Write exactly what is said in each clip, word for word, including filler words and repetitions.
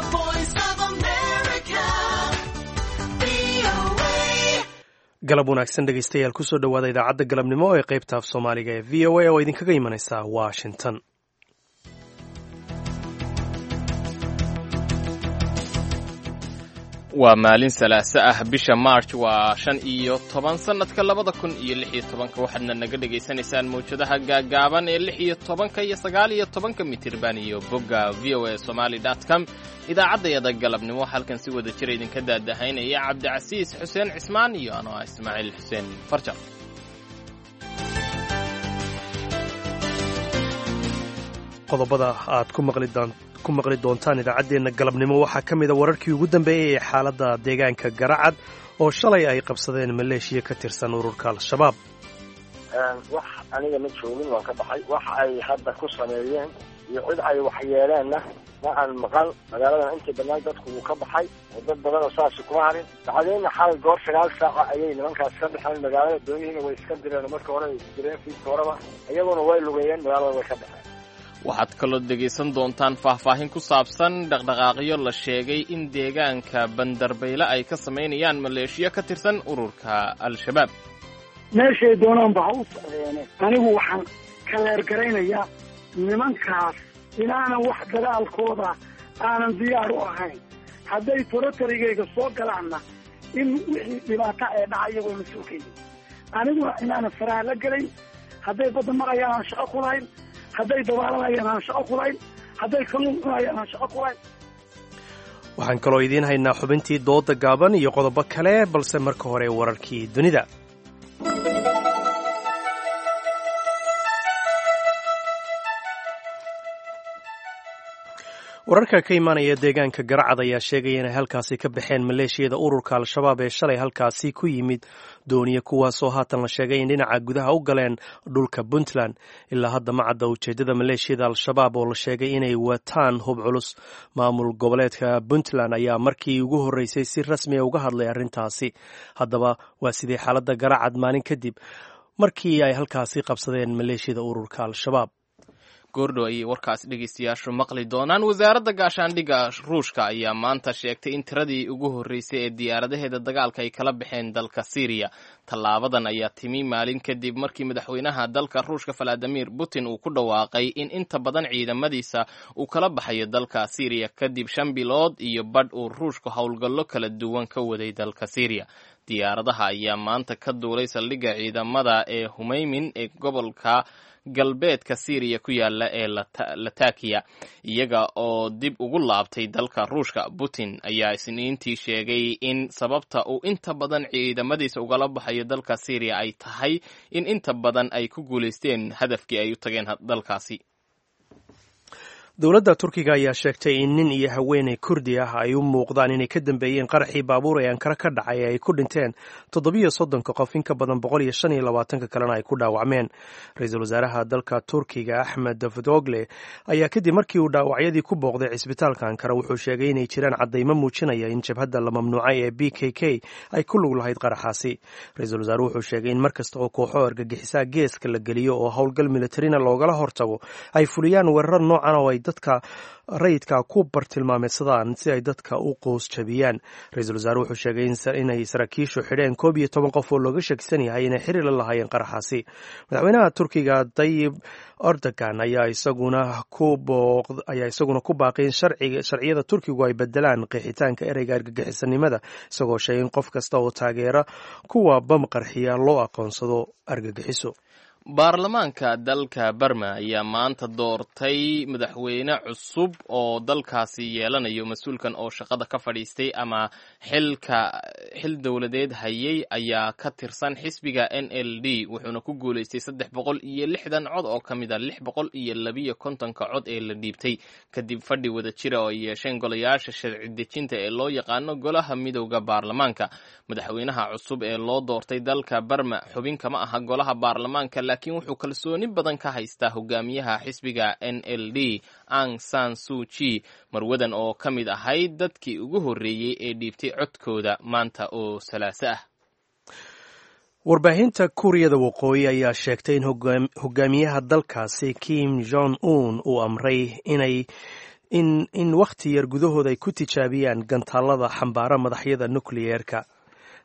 The Voice of America, V O A. Galab wanaagsan, dhegeystayaal. Kusoo dhowaada idaacadda galabnimo ee qaybta af Soomaaliga ee V O A oo idinkaga imanaysa Washington. Waa maalin Salaaso ah, bisha March waa shan iyo toban, sanadka labada kun iyo lix iyo tobanka. Waxaadna naga dhegaysanaysaan mawjadaha gaagaaban ee lix iyo tobanka iyo sagaal iyo tobanka mitirban iyo bogga V O A Somali dot com. Idaacaddayada galabnimo halkan si wada jira idinka daadahaynaya Cabdicasiis Xuseen Cismaan iyo anoo ah Ismaaciil Xuseen Farjar. Qodobada aad ku maqli doon ku maqli doontaan idaacaddeenna galabnimo waxaa ka mid a wararkii ugu dambeeyey ee xaaladda deegaanka Garacad oo shalay ay qabsadeen maleeshiya ka tirsan ururka Al-Shabaab. Wax aniga ma joogin, waan ka baxay. Wax ay hadda ku sameeyeen iyo cid ay waxyeeleenna ma aan maqal. Magaaladan intii badnaan dadku wuu ka baxay oo dad badan oo saasi kuma harin. Bacdeenna xalay goor sagaal saaca ayay nimankaas ka baxeen magaalada. Doonyihiina way iska direen oo marka hore ay direen fiidka horeba, iyaguna way lugeeyeen, magaalada way ka baxeen. Waxaad kaloo dhegaysan doontaan faahfaahin ku saabsan dhaqdhaqaaqyo la sheegay in deegaanka Bandarbayle ay ka samaynayaan maleeshiyo ka tirsan ururka Al-Shabaab. Meeshay doonaanba ha u socdeene, anigu waxaan kaleergaraynayaa nimankaas inaanan wax dagaalkooda aanan diyaar u ahayn. Hadday territory-gayga soo galaanna, in wixii dhibaato ee dhaca iyagoo la soo keenin, aniguna inaanan faraha la gelayn. Hadday badda marayaan aan shaqo ku lahayn, hadday dabaalanayaan aan shaqo ku lahayn, hadday kalluun cunayaan aan shaqo ku lahayn. Waxaan kaloo idiin haynaa xubintii dooda gaaban iyo qodobo kale, balse marka hore wararkii dunida. Wararka ka imaanaya deegaanka Garacad ayaa sheegaya inay halkaasi ka baxeen maleeshiyada ururka Al-Shabaab ee shalay halkaasi ku yimid dooniye, kuwaasoo haatan la sheegay in dhinaca gudaha u galeen dhulka Puntland. Ilaa hadda ma cadda ujeeddada maleeshiyada Al-Shabaab oo la sheegay inay wataan hub culus. Maamul goboleedka Puntland ayaa markii ugu horreysay si rasmiya uga hadlay arrintaasi. Haddaba, waa sidee xaaladda Garacad maalin kadib markii ay halkaasi qabsadeen maleeshiyada ururka Al-Shabaab? Goordhow ayay warkaas dhegaystayaashu maqli doonaan. Wasaaradda gaashaandhigga Ruushka ayaa maanta sheegtay in tiradii ugu horreysay ee diyaaradaheeda dagaalka ay kala baxeen dalka Siiriya. Tallaabadan ayaa timi maalin kadib markii madaxweynaha dalka Ruushka Valadimir Putin uu ku dhawaaqay in inta badan ciidamadiisa uu kala baxayo dalka Siiriya, kadib shan bilood iyo badh uu Ruushku howlgallo kala duwan ka waday dalka Siiriya. Diyaaradaha ayaa maanta ka duulay saldhigga ciidamada ee Humeymin ee gobolka galbeedka Siiriya ku yaala ee Latakiya, iyaga oo dib ugu laabtay dalka Ruushka. Putin ayaa Isniintii sheegay in sababta uu inta badan ciidamadiisa ugala baxayo dalka Siiriya ay tahay in inta badan ay ku guulaysteen hadafkii ay u tageen dalkaasi. Dowladda Turkiga ayaa sheegtay in nin iyo haweeney Kurdi ah ay u muuqdaan inay ka dambeeyeen qaraxii baabuur ee Ankara ka dhacay ee ay ku dhinteen toddobiyo soddonka qof, in ka badan boqol iyo shan iyo labaatanka kalena ay ku dhaawacmeen. Ra-iisul wasaaraha dalka Turkiga Axmed Davutogle ayaa kadib markii uu dhaawacyadii ku booqday cisbitaalka Ankara wuxuu sheegay inay jiraan caddaymo muujinaya in jabhadda la mamnuucay ee P K K ay ku lug lahayd qaraxaasi. Ra-iisul wasaaruhu wuxuu sheegay in mar kasta oo kooxo argagixisaa geeska la geliyo oo howlgal militarina loogala hortago, ay fuliyaan weerar noocan oo ay dadka rayidka ku bartilmaameedsadaan si ay dadka u qoos jabiyaan. Ra-iisul wasaare wuxuu sheegay inay saraakiishu xidheen koob iyo toban qof oo looga shakisan yahay inay xiriir la lahaayeen qaraxaasi. Madaxweynaha Turkiga Dayib Erdogan ayaa isaguna ku ayaa isaguna ku baaqay in sharciyada Turkigu ay bedelaan qeexitaanka ereyga argagixisanimada, isagoo sheegay in qof kasta oo taageera kuwa bam qarxiya loo aqoonsado argagixiso. Baarlamaanka dalka Barma ayaa maanta doortay madaxweyne cusub oo dalkaasi yeelanayo. Mas-uulkan oo shaqada ka fadhiistay ama xilka xil dowladeed hayay ayaa ka tirsan xisbiga N L D, wuxuuna ku guulaystay saddex boqol iyo lixdan cod oo ka mid a lix boqol iyo labiyo kontonka cod ee la dhiibtay, kadib fadhi wada jira oo ay yeesheen golayaasha sharci dejinta ee loo yaqaano golaha midowda baarlamaanka. Madaxweynaha cusub ee loo doortay dalka Barma xubin kama aha golaha baarlamaanka, laakiin wuxuu kalsooni badan ka haystaa hogaamiyaha xisbiga N L D Ang San Suchi. Marwadan oo ka mid ahayd dadkii ugu horreeyey ee dhiibtay codkooda maanta oo Salaaso ah. Warbaahinta Kuuriyada Waqooyi ayaa sheegtay in hogaamiyaha dalkaasi Kim Jong Un uu amray inay in in wakhti yar gudahood ay ku tijaabiyaan gantaalada xambaara madaxyada nukliyeerka.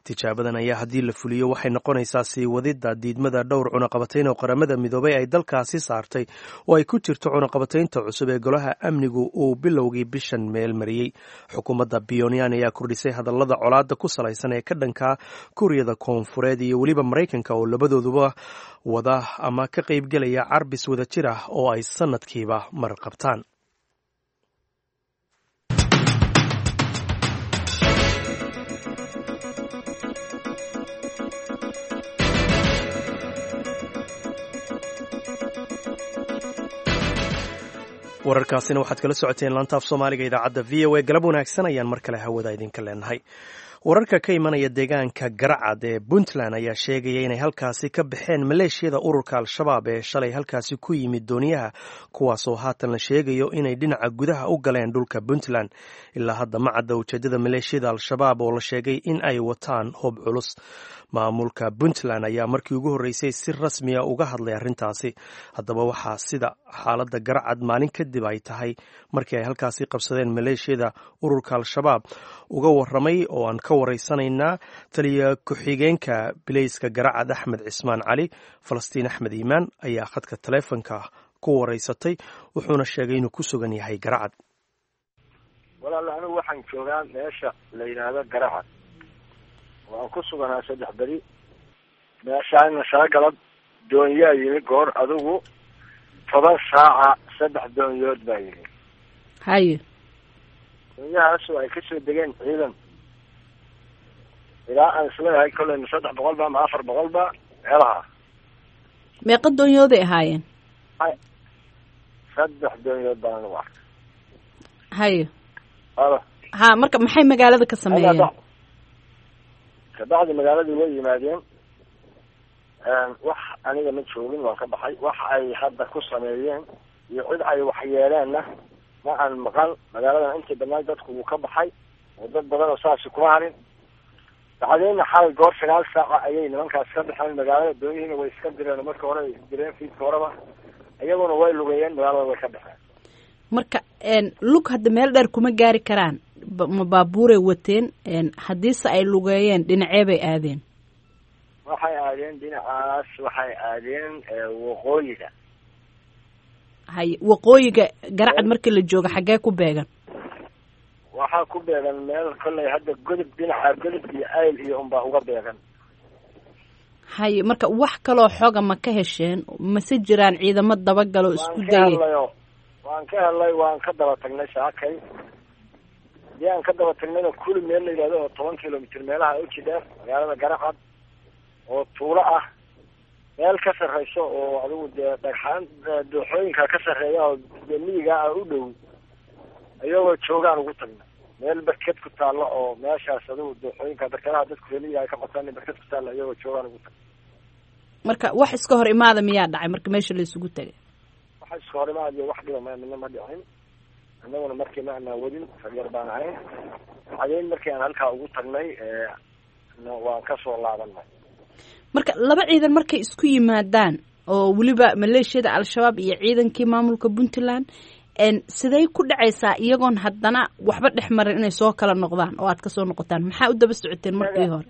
Tijaabadan ayaa haddii la fuliyo waxay noqonaysaa sii wadidda diidmada dhowr cunaqabatayn oo Qaramada Midoobay ay dalkaasi saartay, oo ay ku jirto cunaqabataynta cusub ee Golaha Amnigu uu bilowgii bishan meel mariyey. Xukuumadda Pyongyang ayaa kordhisay hadallada colaadda ku salaysan ee ka dhanka Kuuriyada Koonfureed iyo weliba Maraykanka, oo labadooduba wada ama ka qaybgelaya carbis wadajir ah oo ay sanadkiiba mar qabtaan. Wararkaasina waxaad kala socoteen laantaaf Soomaaliga idaacadda V O A. Galab wanaagsan ayaan mar kale hawada idinka leenahay. Wararka ka imanaya deegaanka Garacad ee Puntland ayaa sheegaya inay halkaasi ka baxeen maleeshiyada ururka Al-Shabaab ee shalay halkaasi ku yimid dooniyaha, kuwaasoo haatan la sheegayo inay dhinaca gudaha u galeen dhulka Puntland. Ilaa hadda ma cadda ujeedada maleeshiyada Al-Shabaab oo la sheegay in ay wataan hub culus. Maamulka Puntland ayaa markii ugu horreysay si rasmiya uga hadlay arrintaasi. Haddaba, waxaa sida xaaladda Garacad maalin kadib ay tahay markii ay halkaasi qabsadeen maleeshiyada ururka Al-Shabaab uga waramay oo aan ka waraysanaynaa taliya ku-xigeenka bileyska Garacad, Axmed Cismaan Cali. Falastiin Axmed Iimaan ayaa khadka taleefonka ku waraysatay, wuxuuna sheegay inuu ku sugan yahay Garacad. Walaal, anigu waxaan joogaa meesha la yidhaahdo Garacad. Waan ku suganaa saddex beri meeshaana. Shala galab doonyaa yimi, goor adigu toban saaca saddex doonyood baa yimi. Haye. Doonyahaasoo ay kasoo degeen ciidan ilaa aan isleeyahay kolley ma saddex boqol ba ma afar boqol ba meelaha. Meeqa doonyooday ahaayeen? Saddex doonyood baan anigu arkay. Haye. Alo. Ha, marka maxay magaalada ka sameeyeen? Kabacdi magaaladii way yimaadeen. Wax aniga ma joogin, waan ka baxay. Wax ay hadda ku sameeyeen iyo cid ay waxyeeleenna ma aan maqal. Magaaladan intii badnayd dadku wuu ka baxay oo dad badan oo saasi kuma harin. Bacdeenna xalay goor sagaal saaca ayay nimankaas ka baxeen magaalada. Doonyihiina way iska direen marka hore, ay direen fiidka horeba, iyaguna way lugeeyeen, magaalada way ka baxeen. Marka lug hadda meel dheer kuma gaari karaan. Ma baabuuray wateen? Haddiise ay lugeeyeen, dhinacee bay aadeen? Waxay aadeen dhinacaas, waxay aadeen waqooyiga. Haye, waqooyiga Garacad markii la joogo xaggee ku beegan? Waxaa ku beegan meel kolley hadda Godob, dhinaca Godob iyo Ayl iyo unbaa uga beegan. Haye, marka wax kaloo xoga ma ka hesheen? Mase jiraan ciidamo dabagalo isku Waan ka dayay? Hadlayo waan ka helnay, waan ka daba tagnay saakay. Hadii aan ka daba tagnayna, kuli meel la yidhahdo oo toban kilomitr meelaha uji dheer magaalada Garacad oo tuulo ah, meel ka sarreyso oo adigu dee dhagxaan dooxooyinka ka sarreeya oo dee miyiga ah u dhow iyagoo joogaan ugu tagna, meel barked ku taalla oo meeshaas adigu dooxooyinka barkadaha dadku reer miyiga ay ka qotaan barked ku taalla iyagoo joogaan ugu tagna. Marka wax iska hor imaada miyaa dhacay marka meesha la isugu tegay? Waxa iska hor imaad iyo wax dhiba ma midna ma dhicin. Annaguna markii ma anaa wadin, rag baan ahayn. Cadeyn markii aan halkaa ugu tagnay waan kasoo laabanay. Marka laba ciidan markay isku yimaadaan, oo weliba maleeshiyada Al-Shabaab iyo ciidankii maamulka Puntland, siday ku dhacaysaa iyagoon haddana waxba dhex marin inay soo kala noqdaan oo aad kasoo noqotaan? Maxaa u daba socoteen markii hore?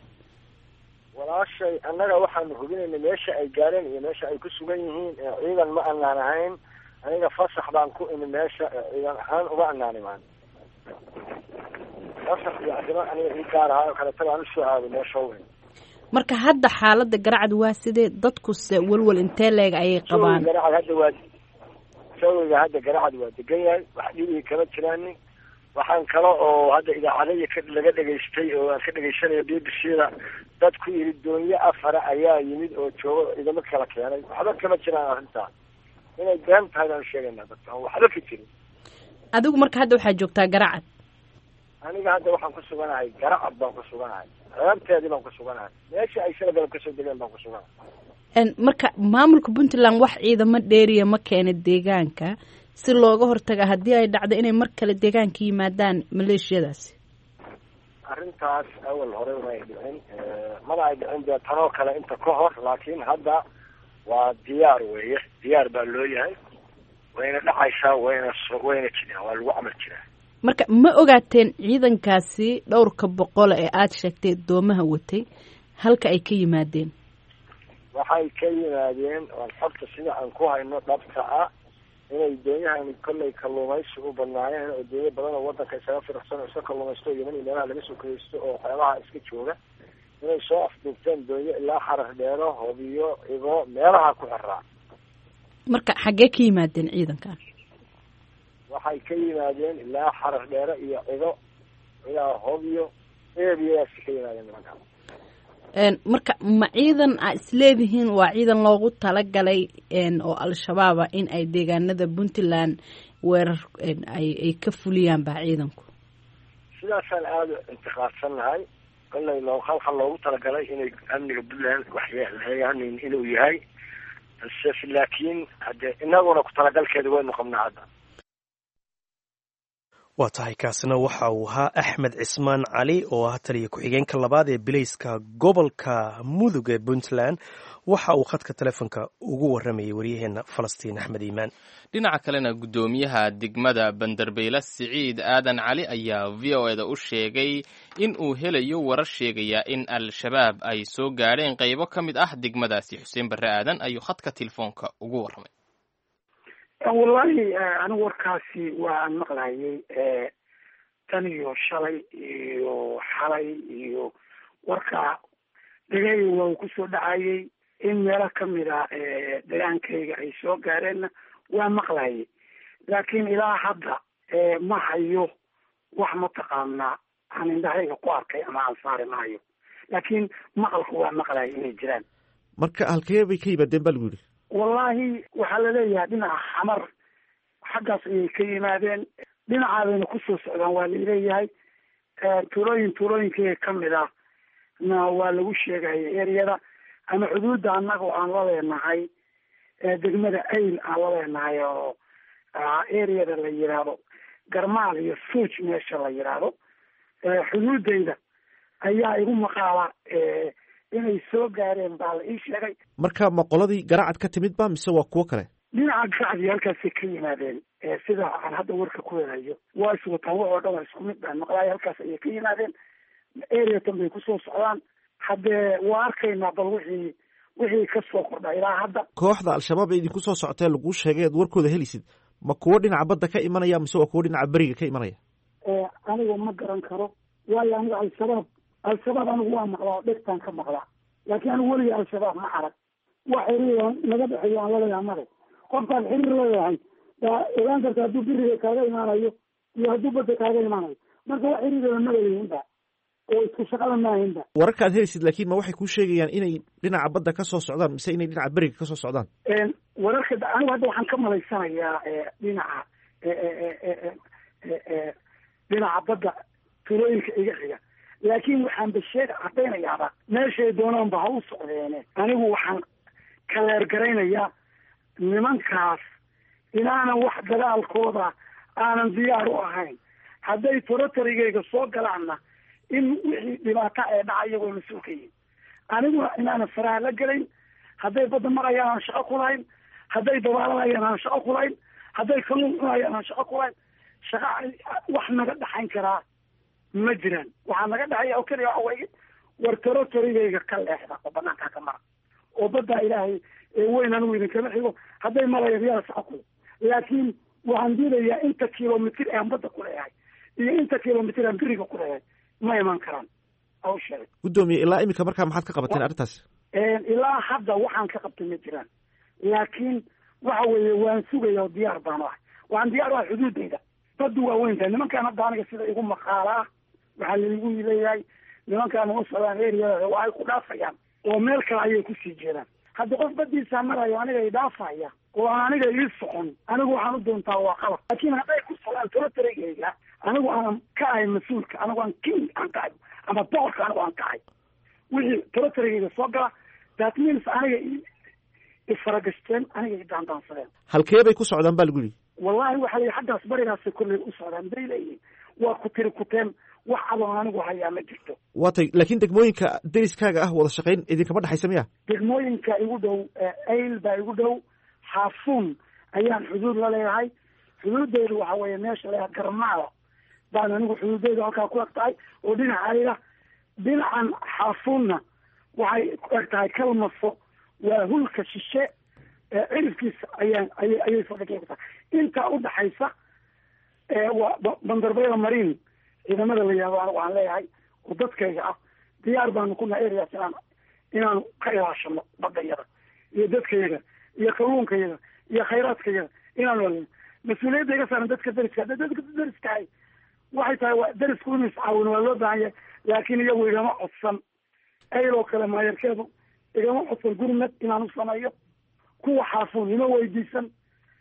Walaashay, annaga waxaanu hubinaynay meesha ay gaareen iyo meesha ay ku sugan yihiin. Ciidan ma anaan ahayn aniga, fasax baan ku imi meesha, ciidan ahaan uga anaan imaan. Fasax iyo arrimo aniga ii gaar ahaa oo kaleeta baan usoo aaday meesha u imi. Marka hadda xaaladda Garacad waa sidee? Dadkuse walwal intee leeg ayay qabaan? Jawiga Garacad hadda waa jawiga hadda Garacad waa degan yahay, wax dhibigi kama jiraanin. Waxaan kale oo hadda idaacadadii ka laga dhegaystay oo aan ka dhegaysanayo B B C da, dad ku yidhi doonyo afara ayaa yimid oo joogo ciidamo kala keenay, waxba kama jiraan. Arrintaa inay been tahay baan sheegaynaa dadka aan waxba ka jirin. Adigu marka hadda waxaad joogtaa Garacad? Aniga hadda waxaan ku suganahay Garacad baan ku suganahay, ceebteedii baan ku suganahay, meesha ay shala galab kasoo degeen baan ku suganahay. Marka maamulka Puntland wax ciidamo dheeriya ma keena deegaanka si looga hortaga haddii ay dhacdo inay mar kale deegaanka yimaadaan maleeshiyadaasi? Arrintaas awal hore ma ay dhicin, mana ay dhicin dee tanoo kale inta ka hor, laakiin hadda waa diyaar weeye, diyaar baa loo yahay. Wayna dhacaysaa, wayna wayna jiraan, waa lagu camal jiraa. Marka ma ogaateen ciidankaasi dhowrka boqole ee aada sheegtay doomaha watay halka ay ka yimaadeen? Waxay ka yimaadeen oan xogta sida aan ku hayno dhabta ah inay doonyahani kollay kalluumaysi u badnaayeen, oo doonyo badan oo wadanka isaga firaqsan oo iska kalluumaysto, Yeman iyo meelaha laga soo kaysto oo waxyaabaha iska jooga, inay soo afduubteen doonyo ilaa Xarar Dheero, Hobiyo, Igo, meelaha ku xiraa. Marka xaggee ka yimaadeen ciidankan? Waxay ka yimaadeen ilaa Xarar Dheero iyo Cido ilaa Hobyo, eeriyaasi ka yimaadeen nimanka. Marka ma ciidan aa isleedihiin waa ciidan loogu talagalay oo Al-Shabaaba in ay deegaanada Puntland weerar ay ay ka fuliyaan baa ciidanku? Sidaasaan aada u intiqaadsannahay. Kollay loo halkan loogu talagalay inay amniga Puntland waxyeeleeyaan inuu yahay, balse laakiin hadde inaguna ku talagalkeeda waynu qabnaa hadda. Waa tahay, kaasina waxa uu ahaa Axmed Cismaan Cali oo ah taliya ku-xigeenka labaad ee bilayska gobolka Mudug ee Puntland. Waxa uu khadka telefoonka ugu waramayay waryaheena Falastiin Axmed Iimaan. Dhinaca kalena, guddoomiyaha degmada Bandarbeyle Siciid Aadan Cali ayaa V O eda u sheegay in uu helayo warar sheegaya in Al-Shabaab ay soo gaadheen qaybo ka mid ah degmadaasi. Xuseen Barre Aadan ayuu khadka telefoonka ugu warramay. Wallahi anigu warkaasi waa aan maqlayay tan iyo shalay iyo xalay, iyo warka dhegayga waa uu kusoo dhacayay in meelo kamid a degaankayga ay soo gaareenna waa maqlayay, laakiin ilaa hadda ma hayo wax mataqaanaa aan indhahayga ku arkay ama aan saari maayo, laakiin maqalku waa maqlayay inay jiraan. Marka halkee bay ka yimaadeen baa lagu yidhi? Wallahi waxaa laleeyahay dhinaca Xamar xaggaas ayay ka yimaadeen, dhinacaabayna kusoo socdaan waa laleeyahay. Tuulooyin tuulooyinkeyga kamid ah na waa lagu sheegaya ereyada ama xuduudda annaga oo aan la leenahay degmada Ayl aan la leenahay, oo ereyada la yiraahdo Garmaal iyo Suuj meesha la yiraahdo xuduudayda ayaa igu maqaala inay soo gaareen baa la ii sheegay. Marka ma qoladii Garacad ka timid ba mise waa kuwo kale? Dhinaca Garacad halkaasay ka yimaadeen, sida aan hadda warka ku helayo. Waa iswataan, wax oo dhan waa isku mid baan maqlaay. Halkaas ayay ka yimaadeen, areatan bay kusoo socdaan. Haddee waa arkaynaa bal wixii wixii kasoo kordha ilaa hadda. Kooxda Al-Shabaab ee idinku soo socotee laguu sheegay aad warkooda helisid, ma kuwo dhinaca badda ka imanaya mise waa kuwo dhinaca beriga ka imanaya? Aniga ma garan karo, waayo aniga Al-Shabaab Al-Shabaab anigu waa maqlaa oo dhegtaan ka maqlaa, laakiin anigu weliga Al-Shabaab ma arag. Wax xiriir naga dhexeeyo aan laleeyahay male. Qofkaad xiriir leeyahay baa ogaan karta hadduu beriga kaaga imaanayo iyo hadduu badda kaaga imaanayo. Marka wax xiriirada maleyihinba oo isku shaqada maahinba. Wararka aad helisid laakiin ma waxay kuu sheegayaan inay dhinaca badda ka soo socdaan mise inay dhinaca beriga kasoo socdaan? Wararka anigu hadda waxaan ka malaysanayaa dhinaca dhinaca badda tuulooyinka iga xiga, laakiin waxaan basheeg caddaynayaaba meeshay doonaanba ha u socdeene. Anigu waxaan kaleergaraynayaa nimankaas inaanan wax dagaalkooda aanan diyaar u ahayn, hadday torotarigayga soo galaanna in wixii dhibaato ee dhaca iyagoo mas-uul ka yihin, aniguna inaanan faraha la gelayn. Hadday badda marayaan aan shaqo ku lahayn, hadday dabaalanayaan aan shaqo ku lahayn, hadday kalluun cunayaan aan shaqo ku lahayn. Shaqa wax naga dhaxayn karaa ma jiraan. Waxaa naga dhexeeya oo keliya waxa weeye war torotorigayga ka leexda oo banaankaa ka mara oo baddaa Ilaahay ee weyn anigu idinkama xigo. Hadday marayaan yaa shaqo kule, laakiin waxaan diidayaa inta kilomitir aan badda ku leeyahay iyo inta kilomitir aan beriga ku leeyahay ma iman karaan aw sheegay. Guddoomiye, ilaa iminka markaa maxaad ka qabateen arrintaas? Ilaa hadda waxaan ka qabtay ma jiraan, laakiin waxa weeye waan sugaya oo diyaar baan u ahay. Waxaan diyaar u ahay xuduudayda. Baddu waa weyntahay. Nimankaan hadda aniga sida igu maqaalaa waxaa laigu leeyahay nimankaan uma socdaan eriyada, waa ay ku dhaafayaan oo meel kale ayay kusii jeedaan. Hadda qof badiisaa marayo aniga i dhaafaya oo aan aniga ii socon, anigu waxaan u doontaa waa qalab. Laakiin hadday ku socdaan torotarigayga, anigu aanan ka ahay mas-uulka, anigu aan king aan ka ahay ama boqorka anigu aan ka ahay, wixii torotarigayga soo gala that means aniga ifaragashteen, aniga i daandaansadeen. Halkee bay ku socdaan baa lagu yidhi? Wallahi waxaa la yidhi xaggaas barigaasay kolley u socdaan bay leeyihiin. Waa ku tiri kuteen, wax adoon anigu hayaa ma jirto. Waa tay, laakiin degmooyinka deriskaaga ah wada shaqayn idinkama dhexaysa miya? Degmooyinka igu dhow Ayl baa igu dhow, Xaafuun ayaan xuduud la leeyahay. Xuduudeydu waxa weeye meesha leeyahay Garmaada baan anigu xuduudeydu halkaa ku eg tahay, oo dhinacayga dhinacan Xaafuunna waxay ku eg tahay Kalmaso, waa hulka shishe ee cirifkiisa ayaan ayay ayay saldhigay ku tahay. Intaa udhaxaysa waa Bandarbayla Mariin ciidamada la yihahdo anigu aan leeyahay oo dadkayga ah, diyaar baanu ku nahay areas inaan inaanu ka ilaashano badayada iyo dadkayaga iyo kalluunkayaga iyo khayraadkayaga inaanu alino. Mas-uuliyadda iga saaran dadka dariska, hadda dadka dariskahay waxay tahay waa darisku inuu iscaawino waa loo baahan yahay, laakiin iyagu igama codsan. Ayloo kale maayarkeedu igama codsan gurmad inaan u sameeyo, kuwa Xaafuun ima weydiisan.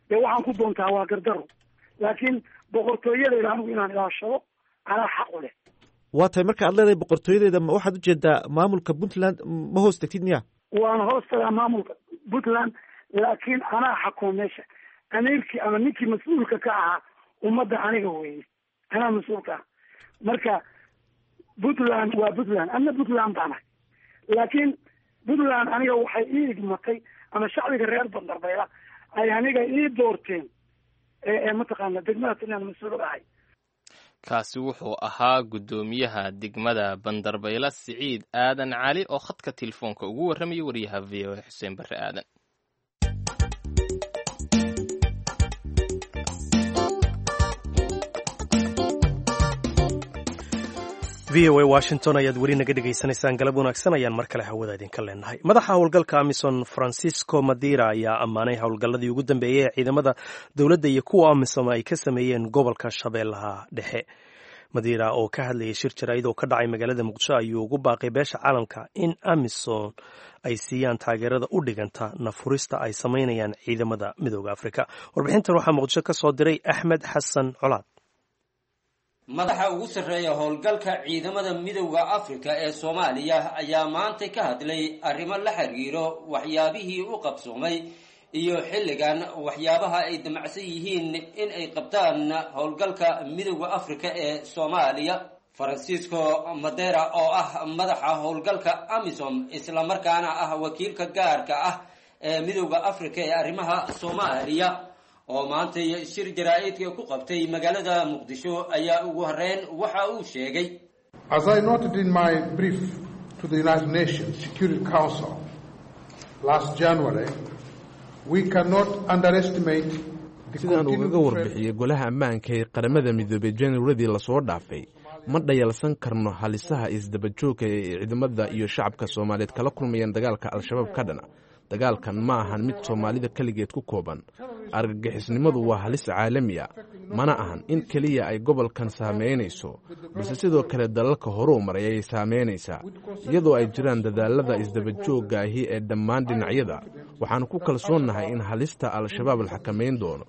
Dee waxaan ku doontaa waa gardaro, laakiin boqortooyadayda anigu inaan ilaashado anaa xaq u leh. Waa tahay, marka aad leedahay boqortooyadeeda, ma waxaad ujeedaa maamulka Puntland ma hoos tagtid miya? Waan hoos tagaa maamulka Puntland, laakiin anaa xakuma meesha. Amiirkii ama ninkii mas-uulka ka ahaa ummadda aniga weye, anaa mas-uulka ah. Marka Puntland waa Puntland, ana Puntland baan ahay, laakiin Puntland aniga waxay ii igmatay ama shacbiga reer Bandarbayla ay aniga ii doorteen ee mataqaana degmadaas inaan mas-uul ahay. Kaasi wuxuu ahaa guddoomiyaha degmada Bandarbayla Siciid Aadan Cali oo khadka telefoonka ugu warramayay wariyaha V O A Xuseen Barre Aadan. V O A Washington ayaad weli naga dhegaysanaysaan. Galab wanaagsan ayaan mar kale hawada idinka leenahay. Madaxa howlgalka AMISOM Francisco Madira ayaa ammaanay howlgalladii ugu dambeeyey ee ciidamada dowladda iyo kuwa AMISOM ay ka sameeyeen gobolka Shabeellaha Dhexe. Madira oo ka hadlayay shir jaraa'id oo ka dhacay magaalada Muqdisho ayuu ugu baaqay beesha caalamka in AMISOM ay siiyaan taageerada u dhiganta nafurista ay samaynayaan ciidamada Midooda Afrika. Warbixintan waxaa Muqdisho ka soo diray Axmed Xasan Colaad. Madaxa ugu sarreeya howlgalka ciidamada Midowda Afrika ee Soomaaliya ayaa maanta ka hadlay arrimo la xiriiro waxyaabihii u qabsoomay iyo xilligan waxyaabaha ay damacsan yihiin in ay qabtaan howlgalka Midowda Afrika ee Soomaaliya. Francisco Madera oo ah madaxa howlgalka AMISOM islamarkaana ah wakiilka gaarka ah ee Midowda Afrika ee arrimaha Soomaaliya oo maantay shir jaraa'idka ku qabtay magaalada Muqdisho ayaa ugu horreyn waxa uu sheegay: As I noted in my brief to the United Nations Security Council last January, we cannot underestimate the Sidaan ugaga continued threat warbixiyey Golaha Ammaanka ee Qaramada Midoobay Januaradii lasoo dhaafay, ma dhayalsan karno halisaha isdabajoogka ee ciidamada iyo shacabka Soomaaliyeed kala kulmayaan dagaalka Al-Shabaab ka dhana. Dagaalkan ma ahan mid Soomaalida keligeed ku kooban. Argagixisnimadu waa halis caalami a, mana ahan in keliya ay gobolkan saameynayso, balse sidoo kale dalalka horuu maray ayay saameynaysaa. Iyadoo ay jiraan dadaalada isdabajoogga ahi ee dhammaan dhinacyada, waxaan ku kalsoonnahay in halista Al-Shabaab la xakamayn doono.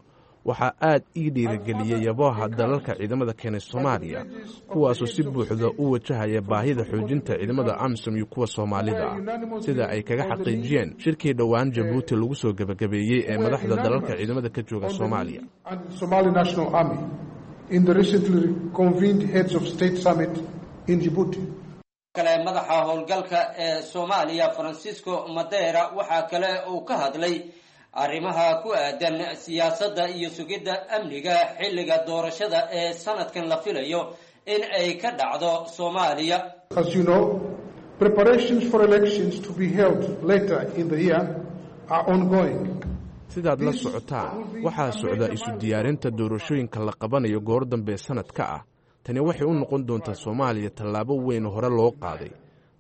Waxaa aad ii dhiirigeliyey yabooha dalalka ciidamada keenay Soomaaliya, kuwaasoo si buuxda u wajahaya baahida xoojinta ciidamada AMISOM iyo kuwa Soomaalida ah, sida ay kaga xaqiijiyeen shirkii dhowaan Jabuuti lagu soo gebagabeeyey ee madaxda dalalka ciidamada ka jooga Soomaaliya. and the Somali National Army in the recently convened Heads of State Summit in Djibouti. Kale madaxa howlgalka ee Soomaaliya Francisco Madera waxaa kale uu ka hadlay arrimaha ku aadan siyaasadda iyo sugidda amniga xilliga doorashada ee sanadkan la filayo in ay ka dhacdo Soomaaliya. As you know, preparations for elections to be held later in the year are ongoing. Sidaad la socotaan, waxaa socda isu diyaarinta doorashooyinka la qabanayo goor dambe sanadka ah. Tani waxay u noqon doontaa Soomaaliya tallaabo weyn hore loo qaaday.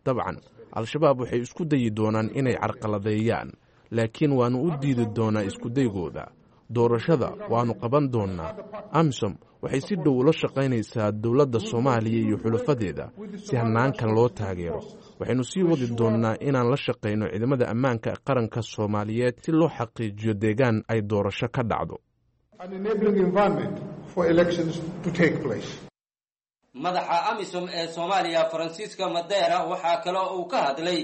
Dabcan, Al-Shabaab waxay isku dayi doonaan inay carqaladeeyaan, laakiin waannu u diidi doonaa iskudaygooda. Doorashada waannu qaban doonnaa. AMISOM waxay si dhow ula shaqaynaysaa dowladda Soomaaliya iyo xulafadeeda si hannaankan loo taageero. Waxaynu sii wadi doonnaa inaan la shaqayno ciidamada ammaanka qaranka Soomaaliyeed si loo xaqiijiyo deegaan ay doorasho ka dhacdo. An enabling environment for elections to take place. Madaxa AMISOM ee Soomaaliya Francisco Madera waxaa kaloo uu ka hadlay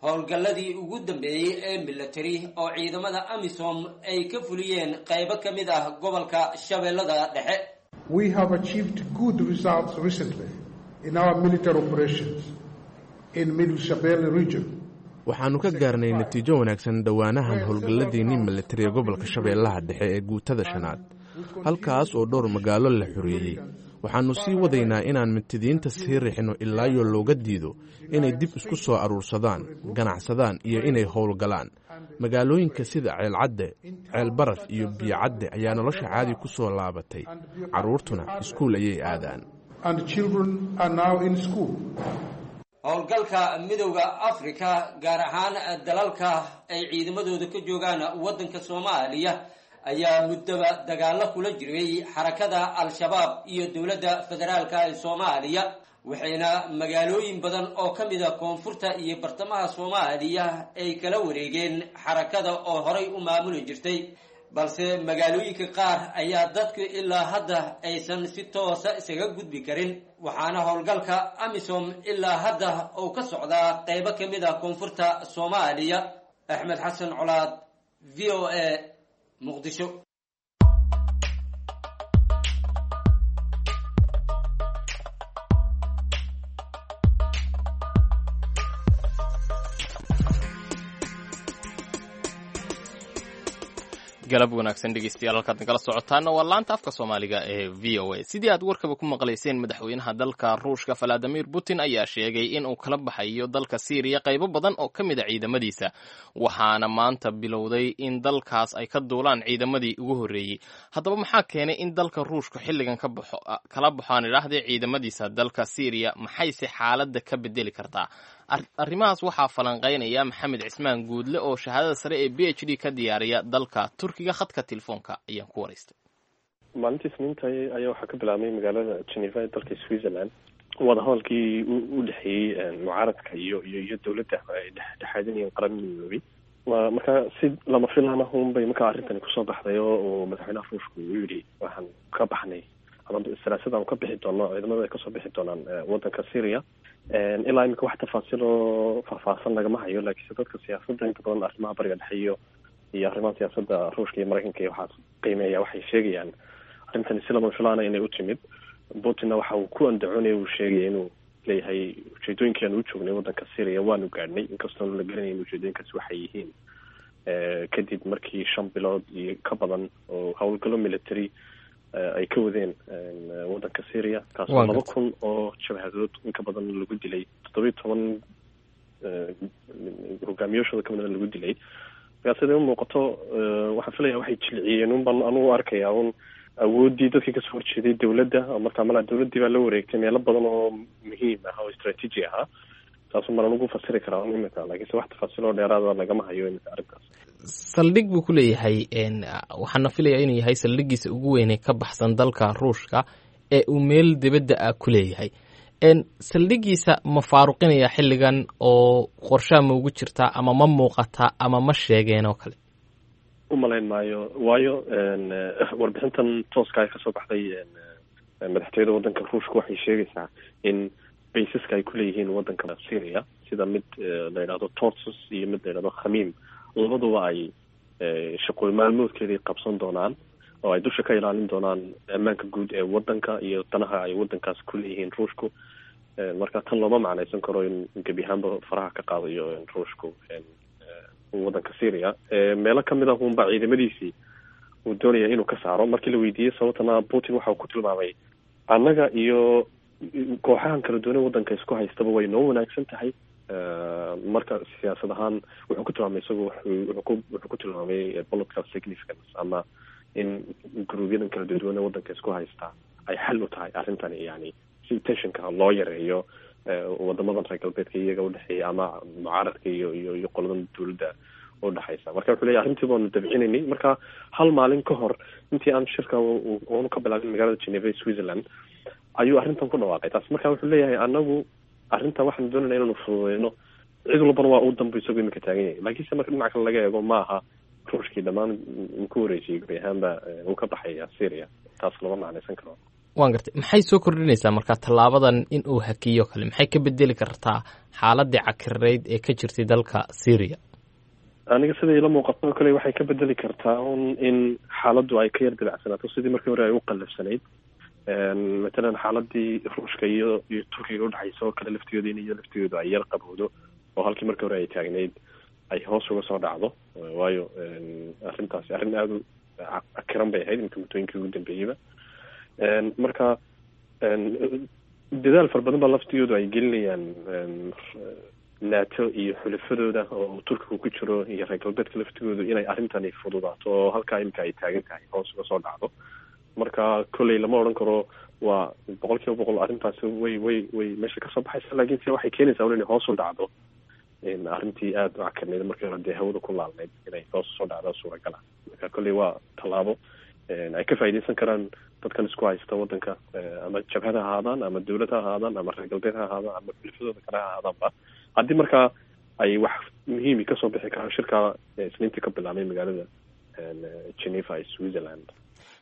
howlgalladii ugu dambeeyey ee military oo ciidamada AMISOM ay ka fuliyeen qaybo ka mid ah gobolka Shabeellada Dhexe. We have achieved good results recently in our military operations in Middle Shabelle region. Waxaannu ka gaarnay natiijo wanaagsan dhowaanahan howlgalladiinnii militariga gobolka Shabeellaha Dhexe ee guutada shanaad, halkaas oo dhowr magaalo la xoreeyey. Waxaannu sii wadaynaa inaan mitidiinta sii rixno ilaayo looga diido inay dib isku soo aruursadaan, ganacsadaan iyo inay howlgalaan. Magaalooyinka sida Ceelcadde, Ceelbaraf iyo Biyocadde ayaa nolosha caadi ku soo laabatay, carruurtuna iskuul ayay aadaan. And children are now in school. Howlgalka Midowda Africa, gaar ahaan dalalka ay ciidamadooda ka joogaan waddanka Soomaaliya, ayaa muddaba dagaallo kula jiray xarakada Al-Shabaab iyo dowladda federaalka ee Soomaaliya, waxayna magaalooyin badan oo ka mid a koonfurta iyo bartamaha Soomaaliya ay kala wareegeen xarakada oo horay u maamuli jirtay. Balse magaalooyinka qaar ayaa dadku ilaa hadda aysan si toosa isaga gudbi karin, waxaana howlgalka AMISOM ilaa hadda uu ka socdaa qaybo ka mid a koonfurta Soomaaliya. Axmed Xasan Colaad, V O A, Muqdisho. Galab wanaagsan dhegeystayaal, halkaad nagala socotaana waa laanta afka Soomaaliga ee V O A. Sidii aad warkaba ku maqlayseen, madaxweynaha dalka Ruushka Valadimir Putin ayaa sheegay in uu kala baxayo dalka Siiriya qaybo badan oo ka mid a ciidamadiisa, waxaana maanta bilowday in dalkaas ay ka duulaan ciidamadii ugu horreeyey. Haddaba maxaa keenay in dalka Ruushka xilligan ka baxo, kala baxo aan idhaahdee, ciidamadiisa dalka Siiriya? Maxayse xaaladda ka bedeli kartaa? Arrimahaas waxaa falanqaynaya Maxamed Cismaan Guudle oo shahaadada sare ee B H D ka diyaariya dalka Turkiga. Khadka telefoonka ayaan ku waraystay. Maalintii Isniinta ayaa waxaa ka bilaabmay magaalada Geneva ee dalka Switzerland wadahadalkii u dhexeeyey mucaaradka iyo iyo iyo dowladda ay dhexdhexaadinayeen Qaramada Midoobay. Marka si lama filaan ah unbay markaa arrintani kusoo baxday oo madaxweynaha Ruushka uu yidhi waxaan ka baxnay ama salaasada aan ka bixi doono, ciidamada ay kasoo bixi doonaan wadanka Syria. Ilaa imika wax tafaasiil oo faahfaahsan lagama hayo, laakiinse dadka siyaasadda inta badan arrimaha Bariga Dhexe iyo iyo arrimaha siyaasadda Ruushka iyo Maraykanka iyo waxaas qiimeeya waxay sheegayaan arrintani si lama filaana inay u timid. Putinna waxa uu ku andacoonaya, uu sheegaya inuu leeyahay ujeedooyinkii aan u joognay wadanka Syria waanu gaadhnay, inkastoon la garanayn ujeedooyinkaasi waxay yihiin, kadib markii shan bilood iyo ka badan oo howlgallo military ay ka wadeen wadanka Syria, kaasoo laba kun oo jabhadood in ka badan lagu dilay, toddobiyo toban hogaamiyaashooda ka badan lagu dilay. Markaa siday u muuqato waxaan filaya waxay jilciyeen un baan anugu arkayaa un awooddii dadkii kasoo horjeeday dowladda. Markaa malaa dowladdii baa la wareegtay meelo badan oo muhiim ah oo istraatiiji ahaa, taasuu malan ugu fasiri karaa un imika, laakiinse wax tafaasiil oo dheeraada lagama hayo imika arrintaas. Saldhig buu ku leeyahay, waxaana filayaa inuu yahay saldhiggiisa ugu weynee ka baxsan dalka Ruushka ee uu meel dibadda ah ku leeyahay. Saldhiggiisa ma faaruqinaya xilligan oo qorshaha ma ugu jirtaa ama ma muuqataa ama ma sheegeen oo kale? U malayn maayo, waayo warbixintan tooska ay kasoo baxday madaxtooyada wadanka Ruushka waxay sheegaysaa in baysaska ay kuleeyihiin wadanka Syria, sida mid la yidhahdo Tortus iyo mid la yidhahdo Khamiim, labaduba ay shaqooy maalmoodkeedii qabsan doonaan oo ay dusha ka ilaalin doonaan ammaanka guud ee wadanka iyo danaha ay wadankaas ku leeyihiin Ruushku. Marka tan looma macnaysan karo in gebi ahaanba faraha ka qaadayo Ruushku wadanka Syria. Meelo kamid ah uunba ciidamadiisii uu doonaya inuu ka saaro. Markii la weydiiyey sababtana, Putin waxa uu ku tilmaamay annaga iyo kooxahan kala duwan wadanka isku haystaba way noo wanaagsan tahay. Marka siyaasad ahaan wuxuu ku tilmaamay isagu wuxuu wuxuu ku tilmaamay political significance, ama in gruubyadan kala duwan wadanka isku haystaa ay xal u tahay arrintani, yani si tensionka loo yareeyo wadamadan reer galbeedka iyaga udhexeeya ama mucaaradka iyo iyo iyo qoladan dowladda udhexaysa. Marka wuxuu leeyahy arrintii baanu dabcinaynay. Marka hal maalin ka hor intii aan shirka oonu ka bilaabin magaalada Geneva Switzerland ayuu arrintan ku dhawaaqay taas. Marka wuxuu leeyahay anagu arrintan waxaanu doonayna inaanu fududeyno, cid walbana waa uu danbu isagu imika taagan yahay. Laakiinse marka dhinaca kale laga eego, maaha Ruushkii dhammaan uu ku wareejiyey gebi ahaanba uu ka baxaya Syria, taas lama macnaysan karo. Waan gartay. Maxay soo kordhinaysaa marka tallaabadan in uu hakiyo kale? Maxay ka bedeli kartaa xaaladii cakirayd ee ka jirtay dalka Syria? Aniga sida ila muuqato kale waxay ka bedeli kartaa un in xaaladdu ay ka yar dabacsanaato sidii markii hore ay u qallafsanayd. Matalan xaaladii Ruushka iyo iyo Turkiga udhexaysa oo kale laftigooda in iyo laftigoodu ay yar qabowdo, oo halkii markii hore ay taagnayd ay hoos uga soo dhacdo, waayo arrintaasi arrin aada u akiran bay ahayd imika muddooyinkii ugu dambeeyeyba. Marka dadaal fara badan baa laftigoodu ay gelinayaan NATO iyo xulafadooda oo Turkigu ku jiro iyo reer galbeedka laftigoodu inay arrintani fududaato oo halkaa imika ay taagan tahay hoos uga soo dhacdo. Marka kolley lama odhan karo waa boqol kiiba boqol arrintaasi way way way meesha kasoo baxaysa, laakiin se waxay keenaysaa un inay hoos u dhacdo arrintii aada u cakarnayd markii hore dee hawada ku laalnayd inay hoos usoo dhacdo suuragal ah. Marka kolley waa tallaabo ay ka faa'iidaysan karaan dadkan isku haysta waddanka, ama jabhad ha ahaadaan ama dawlad ha ahaadaan ama reer galbeed ha ahaadaan ama xulafadooda kale ha ahaadaanba, haddii markaa ay wax muhiimi kasoo bixi karaan shirka Isniintii ka bilaabmay magaalada Geneva ee Switzerland.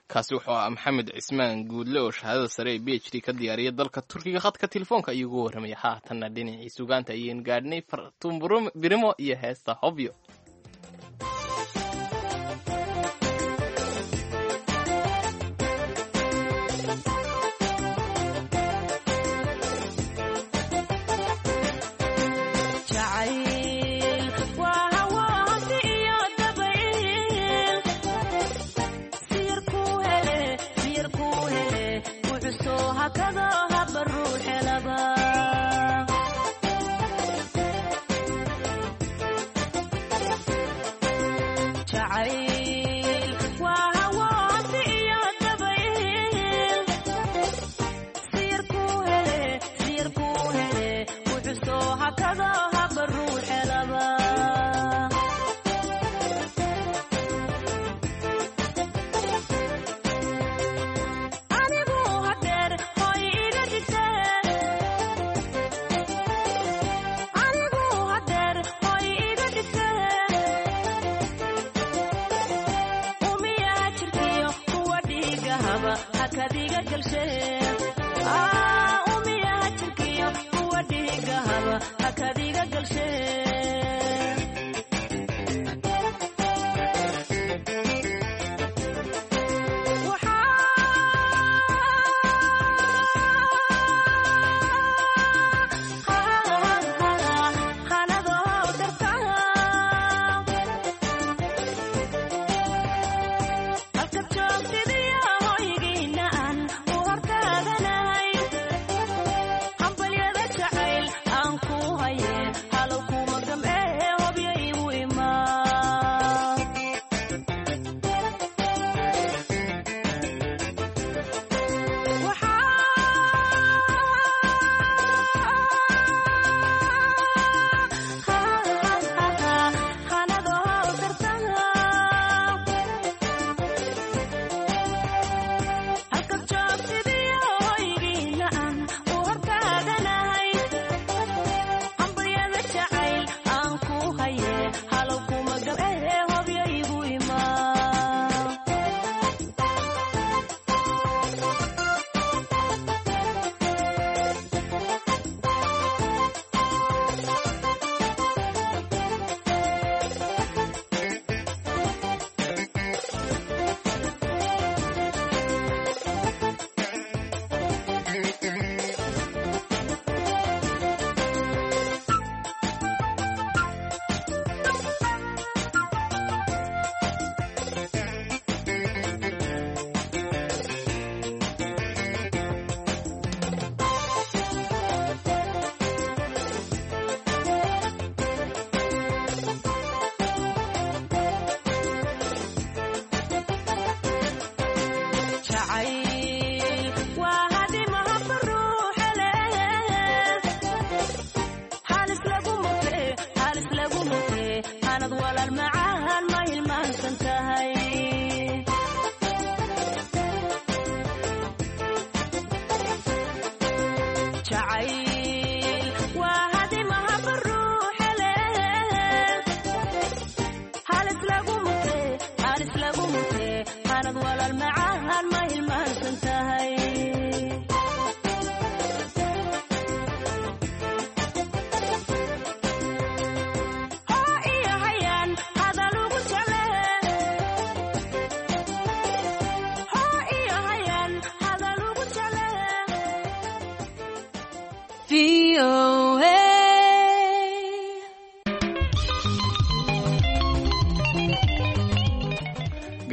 Kaasi wuxuu ahaa Maxamed Cismaan Guudle oo shahaadada sare ee B H D ka diyaariyay dalka Turkiga. Khadka telefoonka ayuu ugu warramaya. Haatanna dhinacii sugaanta ayaynu gaadhnay, Fartuun Birimo iyo heesta Hobyo.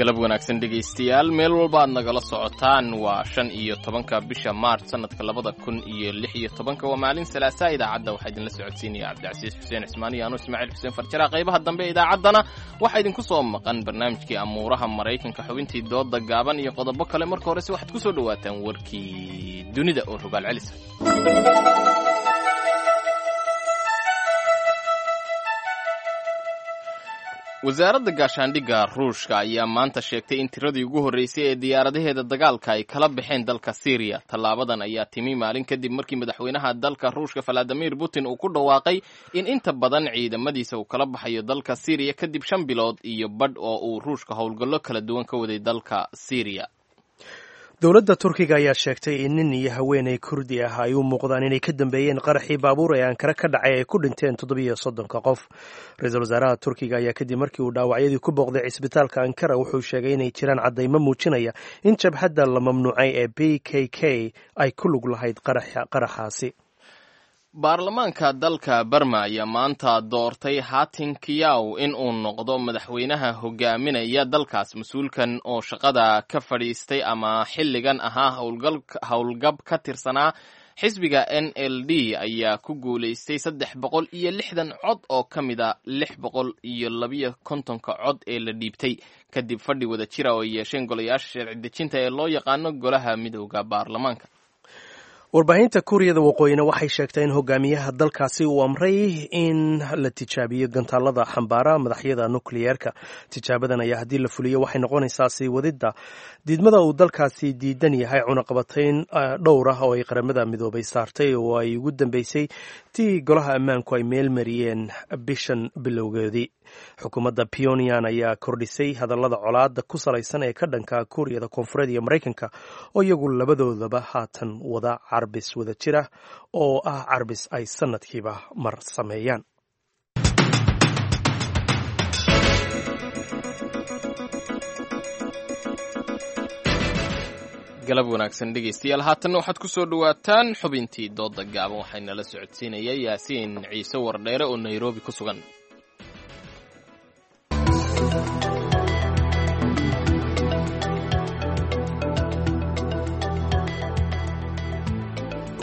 Galab wanaagsan dhegaystayaal, meel walba aad nagala socotaan. Waa shan iyo tobanka bisha maarch sanadka labada kun iyo lix iyo tobanka, waa maalin salaasaa. Idaacadda waxaa idinla socodsiinaya Cabdicasiis Xuseen Cismaan iyo anu Ismaaciil Xuseen Farjara. Qaybaha dambe ee idaacaddana waxaa idinku soo maqan barnaamijkii amuuraha Maraykanka, xubintii dooda gaaban iyo qodobo kale. Marka horese waxaad ku soo dhowaataan warkii dunida oo rogaal celisa. Wasaaradda gaashaandhigga Ruushka ayaa maanta sheegtay in tiradii ugu horreysay ee diyaaradaheeda dagaalka ay kala baxeen dalka Siiriya. Tallaabadan ayaa timi maalin kadib markii madaxweynaha dalka Ruushka Valadimir Putin uu ku dhawaaqay in inta badan ciidamadiisa uu kala baxayo dalka Siiriya kadib shan bilood iyo badh oo uu Ruushka howlgallo kala duwan ka waday dalka Siiriya. Dowladda Turkiga ayaa sheegtay in nin iyo haweeney Kurdi ah ay u muuqdaan inay ka dambeeyeen qaraxii baabuur ee Ankara ka dhacay ay ku dhinteen toddobiyo soddonka qof. Ra-iisul wasaaraha Turkiga ayaa kadib markii uu dhaawacyadii ku booqday cisbitaalka Ankara wuxuu sheegay inay jiraan caddaymo muujinaya in jabhadda la mamnuucay ee B K K ay ku lug lahayd qaraxaasi. Baarlamaanka dalka Barma ayaa maanta doortay Hatin Kiyaw in uu noqdo madaxweynaha hogaaminaya dalkaas. Mas-uulkan oo shaqada ka fadhiistay ama xilligan ahaa howlgab ka tirsanaa xisbiga N L D ayaa ku guulaystay saddex boqol iyo lixdan cod oo ka mid a lix boqol iyo labiyo kontonka cod ee la dhiibtay, kadib fadhi wada jira oo ay yeesheen golayaasha sharci dejinta ee loo yaqaano golaha midooda baarlamaanka. Warbaahinta Kuuriyada Waqooyina waxay sheegtay in hogaamiyaha dalkaasi uu amray in la tijaabiyo gantaalada xambaara madaxyada nukliyeerka. Tijaabadan ayaa haddii la fuliyo waxay noqonaysaa sii wadidda diidmada uu dalkaasi diidan yahay cunaqabatayn dhowr ah oo ay Qaramada Midoobay saartay, oo ay ugu dambeysay tii golaha ammaanku ay meel mariyeen bishan bilowgeedii. Xukuumadda Pyongyang ayaa kordhisay hadallada colaada ku salaysan ee ka dhanka Kuuriyada Koonfureed iyo Maraykanka, oo iyagu labadoodaba haatan wada carbis wada jir ah oo ah carbis ay sanadkiiba mar sameeyaan. Galab wanaagsan dhegaystayaal, haatanna waxaad ku soo dhowaataan xubintii dooda gaaban. Waxaynala socodsiinaya Yaasiin Ciise Wardheere oo Nairobi ku sugan.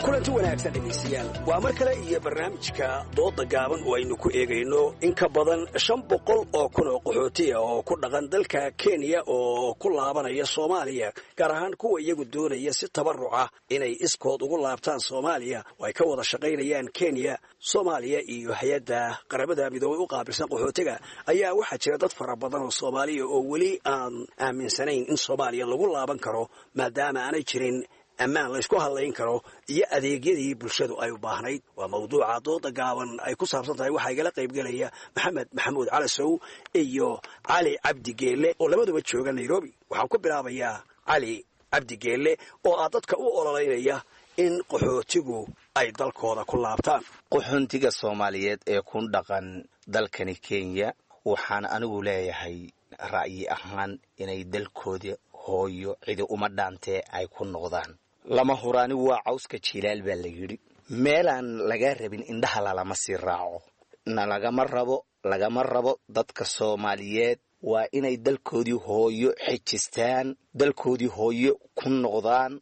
Kulanti wanaagsan dhegaystayaal, waa mar kale iyo barnaamijka dooda gaaban oo aynu ku eegayno in ka badan shan boqol oo kun oo qaxootiya oo ku dhaqan dalka Kenya oo ku laabanaya Soomaaliya, gaar ahaan kuwa iyagu doonaya si tabaruca inay iskood ugu laabtaan Soomaaliya oo ay ka wada shaqaynayaan Kenya, Soomaaliya iyo hay-adda Qaramada Midoobay u qaabilsan qaxootiga. Ayaa waxaa jira dad fara badan oo Soomaaliya oo weli aan aaminsanayn in Soomaaliya lagu laaban karo, maadaama aanay jirin ammaan laysku hadlayn karo iyo adeegyadii bulshadu ay u baahnayd. Waa mawduuca dooda gaaban ay ku saabsan tahay. Waxaa igala qaybgelaya Maxamed Maxamuud Calasow iyo Cali Cabdi Geelle oo labaduba jooga Nairobi. Waxaan ku bilaabayaa Cali Cabdi Geelle oo ah dadka u ololeynaya in qaxootigu ay dalkooda ku laabtaan. Qaxoontiga Soomaaliyeed ee ku dhaqan dalkani Kenya, waxaan anigu leeyahay ra'yi ahaan inay dalkooda hooyo cidi uma dhaantee ay ku noqdaan. Lama huraani waa cawska jiilaal baa la yidhi. Meelaan laga rabin indhaha lalama sii raaco, na lagama rabo, lagama rabo. Dadka Soomaaliyeed waa inay dalkoodii hooyo xejistaan, dalkoodii hooyo ku noqdaan.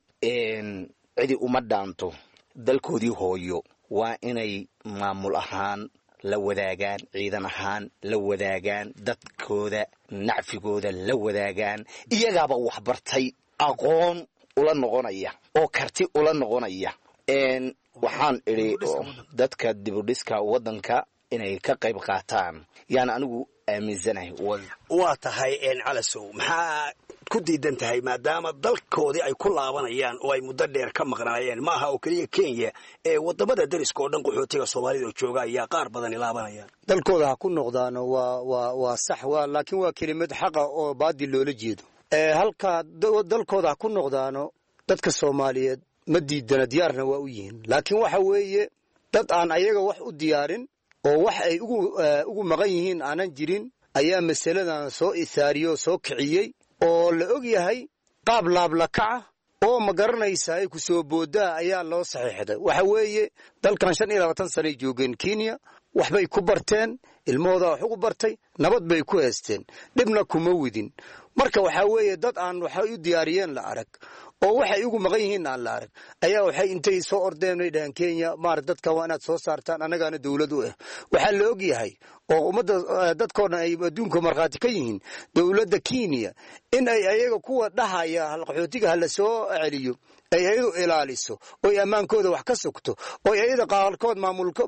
Cidi uma dhaanto dalkoodii hooyo. Waa inay maamul ahaan la wadaagaan, ciidan ahaan la wadaagaan, dadkooda nacfigooda la wadaagaan. Iyagaaba waxbartay, aqoon ula noqonaya oo karti ula noqonaya. Waxaan idhi dadka dibudhiska waddanka inay ka qayb qaataan yaan anigu aaminsanahay. Waa tahay Calasow, maxaa ku diidan tahay maadaama dalkoodii ay ku laabanayaan oo ay muddo dheer ka maqnaayeen? Ma aha oo keliya Kenya ee wadamada dariska oo dhan qaxootiga Soomaalida oo jooga ayaa qaar badani laabanayaan. Dalkooda ha ku noqdaano waa waa waa sax, waa laakiin waa kelimad xaqa oo baadil loola jeedo. Halkaa dalkooda ha ku noqdaano dadka Soomaaliyeed ma diidana, diyaarna waa u yihiin, laakiin waxa weeye dad aan ayaga wax u diyaarin oo wax ay ugu ugu maqan yihiin aanan jirin ayaa masaladan soo ithaariyey oo soo kiciyey, oo la og yahay qaab laablakaca oo ma garanaysa ay ku soo boodaa ayaa loo saxiixday. Waxa weeye dalkan shan iyo labaatan sanay joogeen Kenya, Waxbay ku barteen, ilmahooda wax ugu bartay, nabad bay ku heesteen, dhibna kuma widin. Marka waxaa weeye dad aan waxay u diyaariyeen la arag oo waxay ugu maqan yihiin aan la arag ayaa waxay intay soo ordeen ay dhaheen Kenya maar dadka waa inaad soo saartaan, annagaana dowlad u ah. Waxaa la og yahay oo ummadda dadkoo dhan ay adduunka markhaati ka yihiin dowladda Kenya in ay ayaga kuwa dhahaya qaxootiga ha la soo celiyo ay ayadu ilaaliso, oy ammaankooda wax ka sugto, oy ayada qaalkood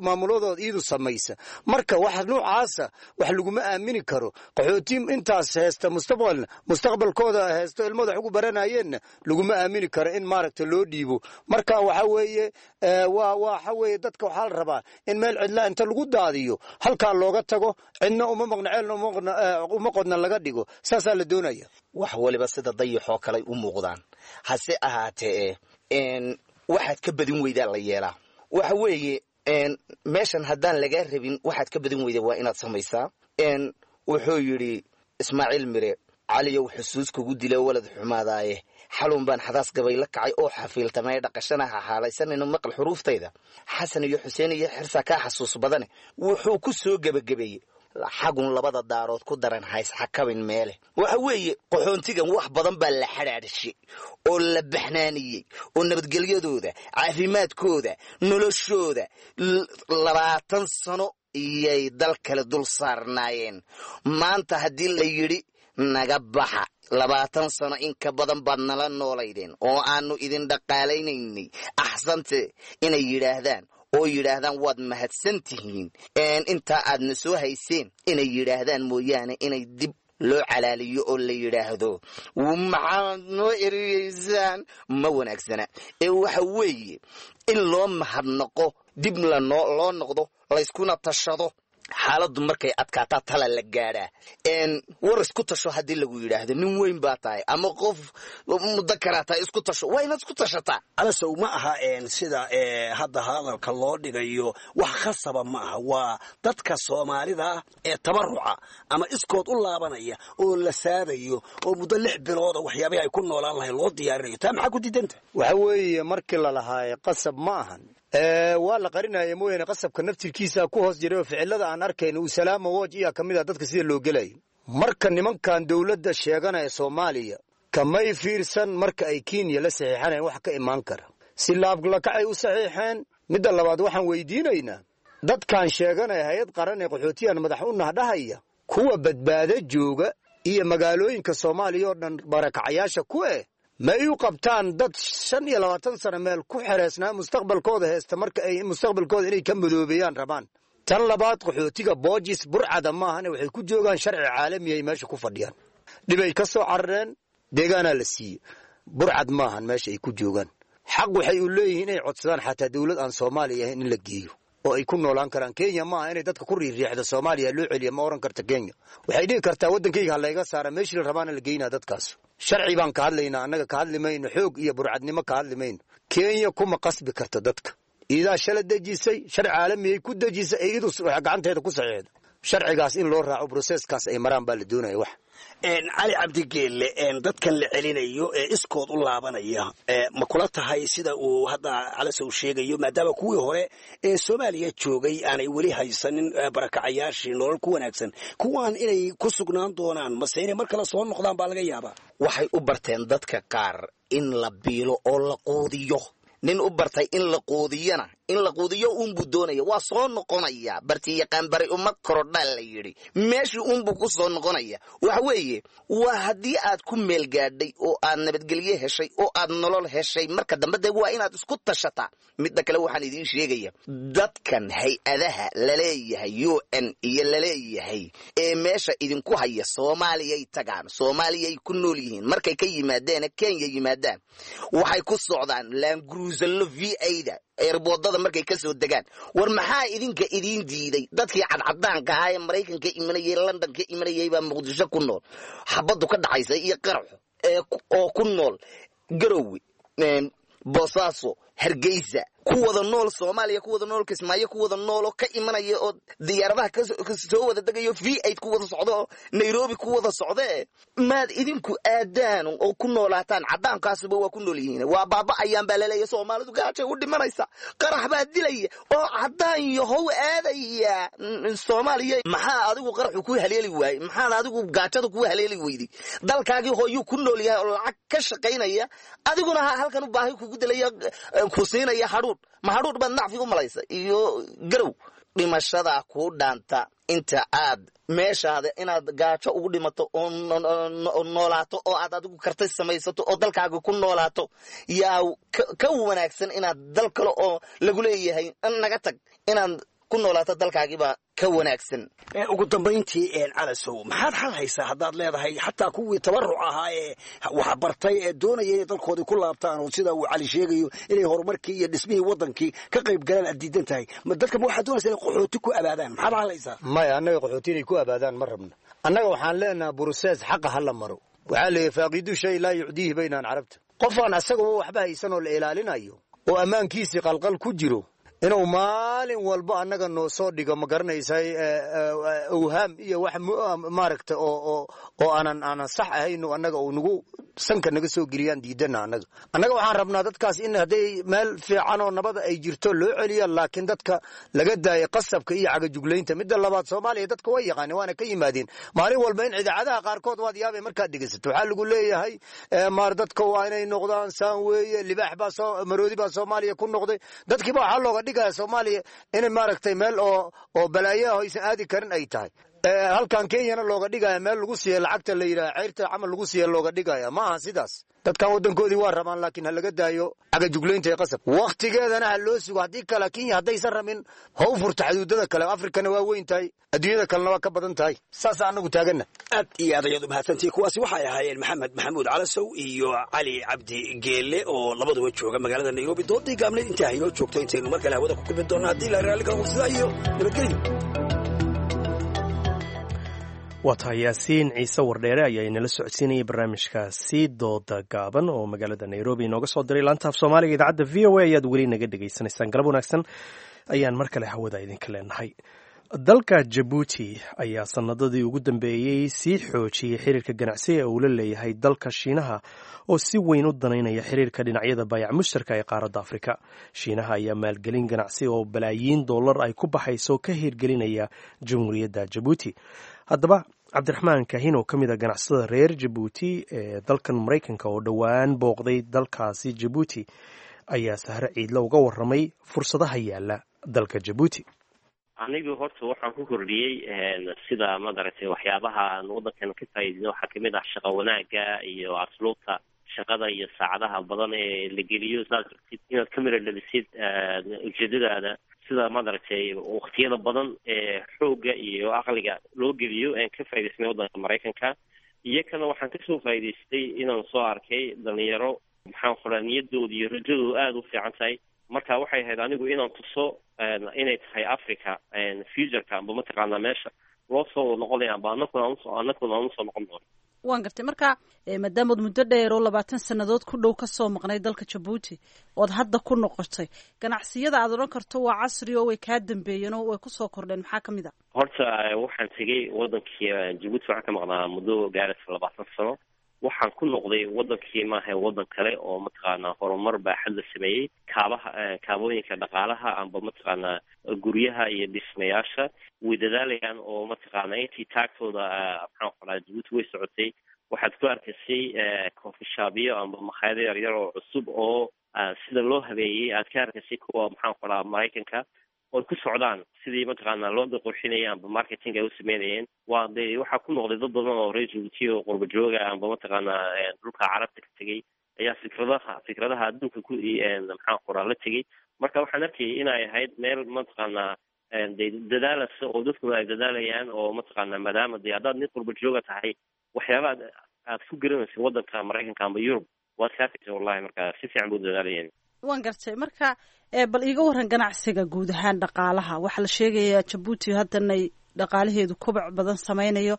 maamuladooda iyadu samaysa. Marka wax noocaasa wax laguma aamini karo. Qaxooti intaas heesta mustaqbalna mustaqbalkooda heesto ilmada wax ugu baranayeenna laguma aamini karo in maaragta loo dhiibo. Marka waxa weeye waa waxa weeye dadka waxaa la rabaa in meel cidla inta lagu daadiyo halkaa looga tago, cidna uma maqna, ceelna uma qodna laga dhigo, saasaa la doonaya. Wax waliba sida dayaxoo kaley u muuqdaan, hase ahaatee waxaad ka badin weydaa la yeelaa. Waxa weeye meeshan haddaan lagaa rabin waxaad ka badin weydaa waa inaad samaysaa. Wuxuu yidhi Ismaaciil Mire, caliyow xusuus kugu dila walad xumaadaaye, xalun baan xadaas gabay la kacay oo xafiiltamay dhaqashana ha xaalaysanayno maqal xuruuftayda, Xasan iyo Xuseen iyo Xirsaa kaa xasuus badane. Wuxuu ku soo gebagabeeyey xagun labada daarood ku daran hays xakabin meele. Waxa weeye qaxoontigan wax badan baa la xadhaadhshay oo la baxnaaniyey oo nabadgelyadooda, caafimaadkooda, noloshooda labaatan sano iyay dal kale dul saarnaayeen. Maanta haddii la yidhi naga baxa, labaatan sano in ka badan baad nala noolaydeen oo aanu idin dhaqaalaynaynay, axsante inay yidhaahdaan oo yidhaahdaan waad mahadsan tihiin intaa aadna soo hayseen inay yidhaahdaan mooyaane, inay dib loo calaaliyo oo la yidhaahdo maxaad noo ereyeysaan ma wanaagsana. Ee waxa weeye in loo mahadnaqo, dib lanoo loo noqdo, layskuna tashado. Xaaladdu markay adkaataa tala la gaadhaa. War isku tasho haddii lagu yidhaahdo nin weyn baa tahay ama qof mudakaraa tahay, isku tasho, waa inaad isku tashataa. Alasow ma aha sida hadda hadalka loo dhigayo, wax khasaba ma aha. Waa dadka soomaalida ee tabaruca ama iskood u laabanaya oo la saadayo oo muddo lix bilooda waxyaabihi ay ku noolaan lahayn loo diyaarinayo. Taa maxaa ku diidanta? Waxa weeye markii la lahaaye qasab ma ahan, waa la qarinaya mooyaane qasabka naftirkiisa ku hoos jiray oo ficilada aan arkayno uu salaama woj iyaa ka mid ah dadka sida loo gelayo. Marka nimankan dowladda sheeganaya Soomaaliya kamay fiirsan marka ay Kenya la saxiixanayeen wax ka imaan kara, si laablakacay u saxiixeen. Midda labaad waxaan weydiinaynaa dadkan sheeganaya hay-ad qaran ee qaxootiyan madax u nahdhahaya, kuwa badbaado jooga iyo magaalooyinka Soomaaliya oo dhan barakacayaasha ku eh ma ay u qabtaan dad shan iyo labaatan sano meel ku xereysnaa mustaqbalkooda heesta marka ay mustaqbalkooda inay ka madoobeeyaan rabaan. Tan labaad qaxootiga boojis burcada maahane waxay ku joogaan sharci caalami ay meesha ku fadhiyaan, dhibay ka soo carareen, deegaanaa la siiyey, burcad maahan meesha ay ku joogaan. Xaq waxay u leeyihiin inay codsadaan xataa dowlad aan Soomaaliya ahayn in la geeyo oo ay ku noolaan karaan. Kenya maaha inay dadka ku riirriixdo Soomaaliya loo celiya ma oran karta. Kenya waxay dhihi kartaa waddankayga ha layga saara, meeshii la rabaana la geynaa dadkaas. Sharci baan ka hadlaynaa annaga, ka hadli mayno xoog iyo burcadnimo ka hadli mayno. Kenya kuma qasbi karto dadka, iidaa shala dejisay sharci caalamiyay ku dejisay ee iyadu gacanteeda ku saxiixda. Sharcigaas in loo raaco broseskaas ay maraan baa la doonaya. Wax Cali Cabdigeelle, dadkan la celinayo ee iskood u laabanaya ma kula tahay sida uu hadda Calasow sheegayo, maadaama kuwii hore ee Soomaaliya joogay aanay weli haysanin barakacayaashii nolol ku wanaagsan, kuwaan inay ku sugnaan doonaan mase inay mar kale soo noqdaan baa laga yaabaa? Waxay u barteen dadka qaar in la biilo oo la quudiyo. Nin u bartay in la quudiyana in la quudiyo uunbuu doonaya, waa soo noqonaya. Barti yaqaan bari uma korodhaa la yidhi, meeshii uunbuu ku soo noqonaya. Waxa weeye waa haddii aad ku meel gaadhay oo aad nabadgelyo heshay oo aad nolol heshay, marka dambe dee waa inaad isku tashataa. Midda kale waxaan idiin sheegaya dadkan hay-adaha laleeyahay U N iyo laleeyahay ee meesha idinku haya Soomaaliyay tagaan, Soomaaliyay ku nool yihiin. Markay ka yimaadeena Kenya yimaadaan waxay ku socdaan laangruusallo V A-da eerboodada markay ka soo degaan. War maxaa idinka idiin diiday? Dadkii cadcadaanka ahaa ee Maraykanka imanayay, London ka imanayay baa Muqdisho ku nool, xabaddu ka dhacaysa iyo qaraxo ee oo ku nool Garowe, Boosaaso, Hargeysa, Ku wada nool Soomaaliya, ku wada nool Kismaayo, ku wada nooloo ka imanaya oo diyaaradaha kasoo wada degayo, V eight ku wada socdo oo Nairobi ku wada socdee, maad idinku aadaan oo ku noolaataan? Caddaankaasuba waa ku nool yihiin, waa baaba'ayaan baa laleeya. Soomaalidu gaajay u dhimanaysa, qarax baa dilaya, oo caddaan yahow aadaya Soomaaliya. Maxaa adigu qaraxu ku haleeli waayey? Maxaan adigu gaajada ku haleeli weyday? Dalkaagii hooyuu ku nool yahay oo lacag ka shaqaynaya, adiguna ha halkan u baahi kugu dilaya, ku siinaya hadhuudh. Ma hadhuudh baad nacfi u malaysa iyo garow? Dhimashadaa kuu dhaanta inta aad meeshaada inaad gaajo ugu dhimato oo noolaato oo aad adigu kartay samaysato oo dalkaaga ku noolaato, yaa ka wanaagsan inaad dal kale oo lagu leeyahay naga tag inaad ku noolaato. Dalkaagiibaa ka wanaagsan. Ugu dambayntii, Calasow, maxaad xal haysaa haddaad leedahay xataa kuwii tabaruc ahaa ee waxbartay ee doonaya inay dalkoodii ku laabtaan oo sida uu Cali sheegayo inay horumarkii iyo dhismihii waddankii ka qayb galaan aad diidan tahay? Ma dadka ma waxaad doonaysa inay qaxooti ku abaadaan? Maxaad xal haysaa? Maya, annaga qaxooti inay ku abaadaan ma rabno. Annaga waxaan leenaha process xaqa ha la maro. Waxaa leeyahy فاقد الشيء لا يعطيه baynaan carabta. Qofaan asagaba waxba haysan oo la ilaalinayo oo ammaankiisii qalqal ku jiro inuu maalin walba annaga noo soo dhigo, ma garanaysay, awhaam iyo wax maaragta oo oo oo aanan aanan sax ahayn annaga uu nagu sanka naga soo geliyaan diidana. Annaga annaga waxaan rabnaa dadkaas in hadday meel fiican oo nabada ay jirto loo celiyo, laakiin dadka laga daayo qasabka iyo cagajuglaynta. Midda labaad, Soomaaliya dadka way yaqaaneen waana ka yimaadeen. Maalin walba in idaacadaha qaarkood waad yaabay markaad dhegeysato, waxaa lagu leeyahay maar dadka waa inay noqdaan saan weeye, libaax baa soo maroodi baa Soomaaliya ku noqday. Dadkiiba waxaa looga dhigaya Soomaaliya inay maaragtay meel oo oo balaayaha aysan aadi karin ay tahay. Halkan Kenyana looga dhigaya meel lagu siiya lacagta la yidhaha ceyrta camal lagu siiya looga dhigaya. Ma aha sidaas. Dadkan waddankoodii waa rabaan, laakiin ha laga daayo cagajuglaynta ee qasab, wakhtigeedana ha loo sugo. Haddii kale Kenya haddaysan rabin ha u furto xaduudada kale. Afrikana waa weyn tahay, adduunyada kalena waa ka badan tahay. Saasa anagu taaganna. Aad iyo aad ayaad umahadsantihi. Kuwaasi waxay ahaayeen Maxamed Maxamuud Calasow iyo Cali Cabdi Geelle oo labaduba jooga magaalada Nairobi. Doodii gaabneed intaa haynoo joogto, intaynu mar kale hawada ku kulmi doonno haddii la raalli kala sidaa iyo nabadgelyo. Waa tahay, Yaasiin Ciise Wardheere ayaa inala socodsiinayay barnaamijkaasi dooda gaaban oo magaalada Nairobi inooga soo diray. Laanta af Soomaaliga idaacadda V O A ayaad weli naga dhegaysanaysaan. Galab wanaagsan ayaan mar kale hawada idinka leenahay. Dalka Jabuuti ayaa sanadadii ugu dambeeyey sii xoojiyey xiriirka ganacsi ee uu la leeyahay dalka Shiinaha oo si weyn u danaynaya xiriirka dhinacyada baayac mushtarka ee qaaradda Afrika. Shiinaha ayaa maalgelin ganacsi oo balaayiin dollar ay ku baxayso ka hirgelinaya Jamhuuriyadda Jabuuti. Haddaba, Cabdiraxmaan Kahin oo ka mid a ganacsatada reer Jabuuti ee dalkan Maraykanka oo dhowaan booqday dalkaasi Jabuuti ayaa Sahre Ciidle uga waramay fursadaha yaala dalka Jabuuti. Anigu horta waxaan ku kordhiyey sida madaragtay waxyaabaha aan waddankan ka faa'iidino waxaa kamid ah shaqo wanaaga iyo asluubta shaqada iyo saacadaha badan ee la geliyo sidaad rabtid inaad ka mira dhalisid ujeedadaada, sida madaragtay waktiyada badan ee xoogga iyo aqliga loo geliyo aan ka faa'idaysnay waddanka Maraykanka. Iyo kana waxaan kasoo faa'idaystay inaan soo arkay dhalinyaro, maxaan qoraa, niyadooda iyo rajadoodu aada u fiican tahay. Marka waxay ahayd anigu inaan tuso inay tahay Africa futureka amba mataqaanaa meesha loo soo wada noqonaya amba anakuna anakuna aan usoo noqon doono. Waan gartay. Marka maadaamood muddo dheer oo labaatan sannadood ku dhow kasoo maqnay dalka Jabuuti ood hadda ku noqotay, ganacsiyada aad odhan karto waa casri oo way kaa dambeeyeen oo way kusoo kordheen, maxaa kamid a? Horta waxaan tegey wadankii Jabuuti, waxaan ka maqnaa muddo gaaraysa labaatan sano. Waxaan ku noqday wadankii maaha wadan kale oo mataqaanaa horumar baaxad la sameeyey, kaabaha, kaabooyinka dhaqaalaha amba mataqaanaa guryaha iyo dhismayaasha way dadaalayaan oo mataqaanaa intii taagtooda, maxaan qoraa, Jabuuti way socotay. Waxaad ku arkaysay coffee shopyo amba makhaayado yaryar oo cusub oo sida loo habeeyey aad ka arkaysay kuwa, maxaan qoraa, Maraykanka oy ku socdaan sidii mataqaanaa loo qurxinaya amba marketing ay u sameynayeen. Waa de waxaa ku noqday dad badan oo reer Jabuuti oo qurba jooga amba mataqaanaa dhulka carabta ka tegey ayaa fikradaha fikradaha adduunka ku, maxaan qoraa, la tegey. Marka waxaan arkayay inay ahayd meel mataqaanaa de dadaalaysa oo dadkuna ay dadaalayaan oo mataqaanaa maadaama de haddaad nin qurba jooga tahay waxyaaba aad aad ku garanaysa waddanka Maraykanka amba Yurub waad ka arkaysa wallahi. Marka si fiican buu dadaalayeen. Waan gartay. Marka bal iiga waran ganacsiga guud ahaan, dhaqaalaha. Waxaa la sheegayaa Jabuuti haddanay dhaqaalaheedu koboc badan sameynayo,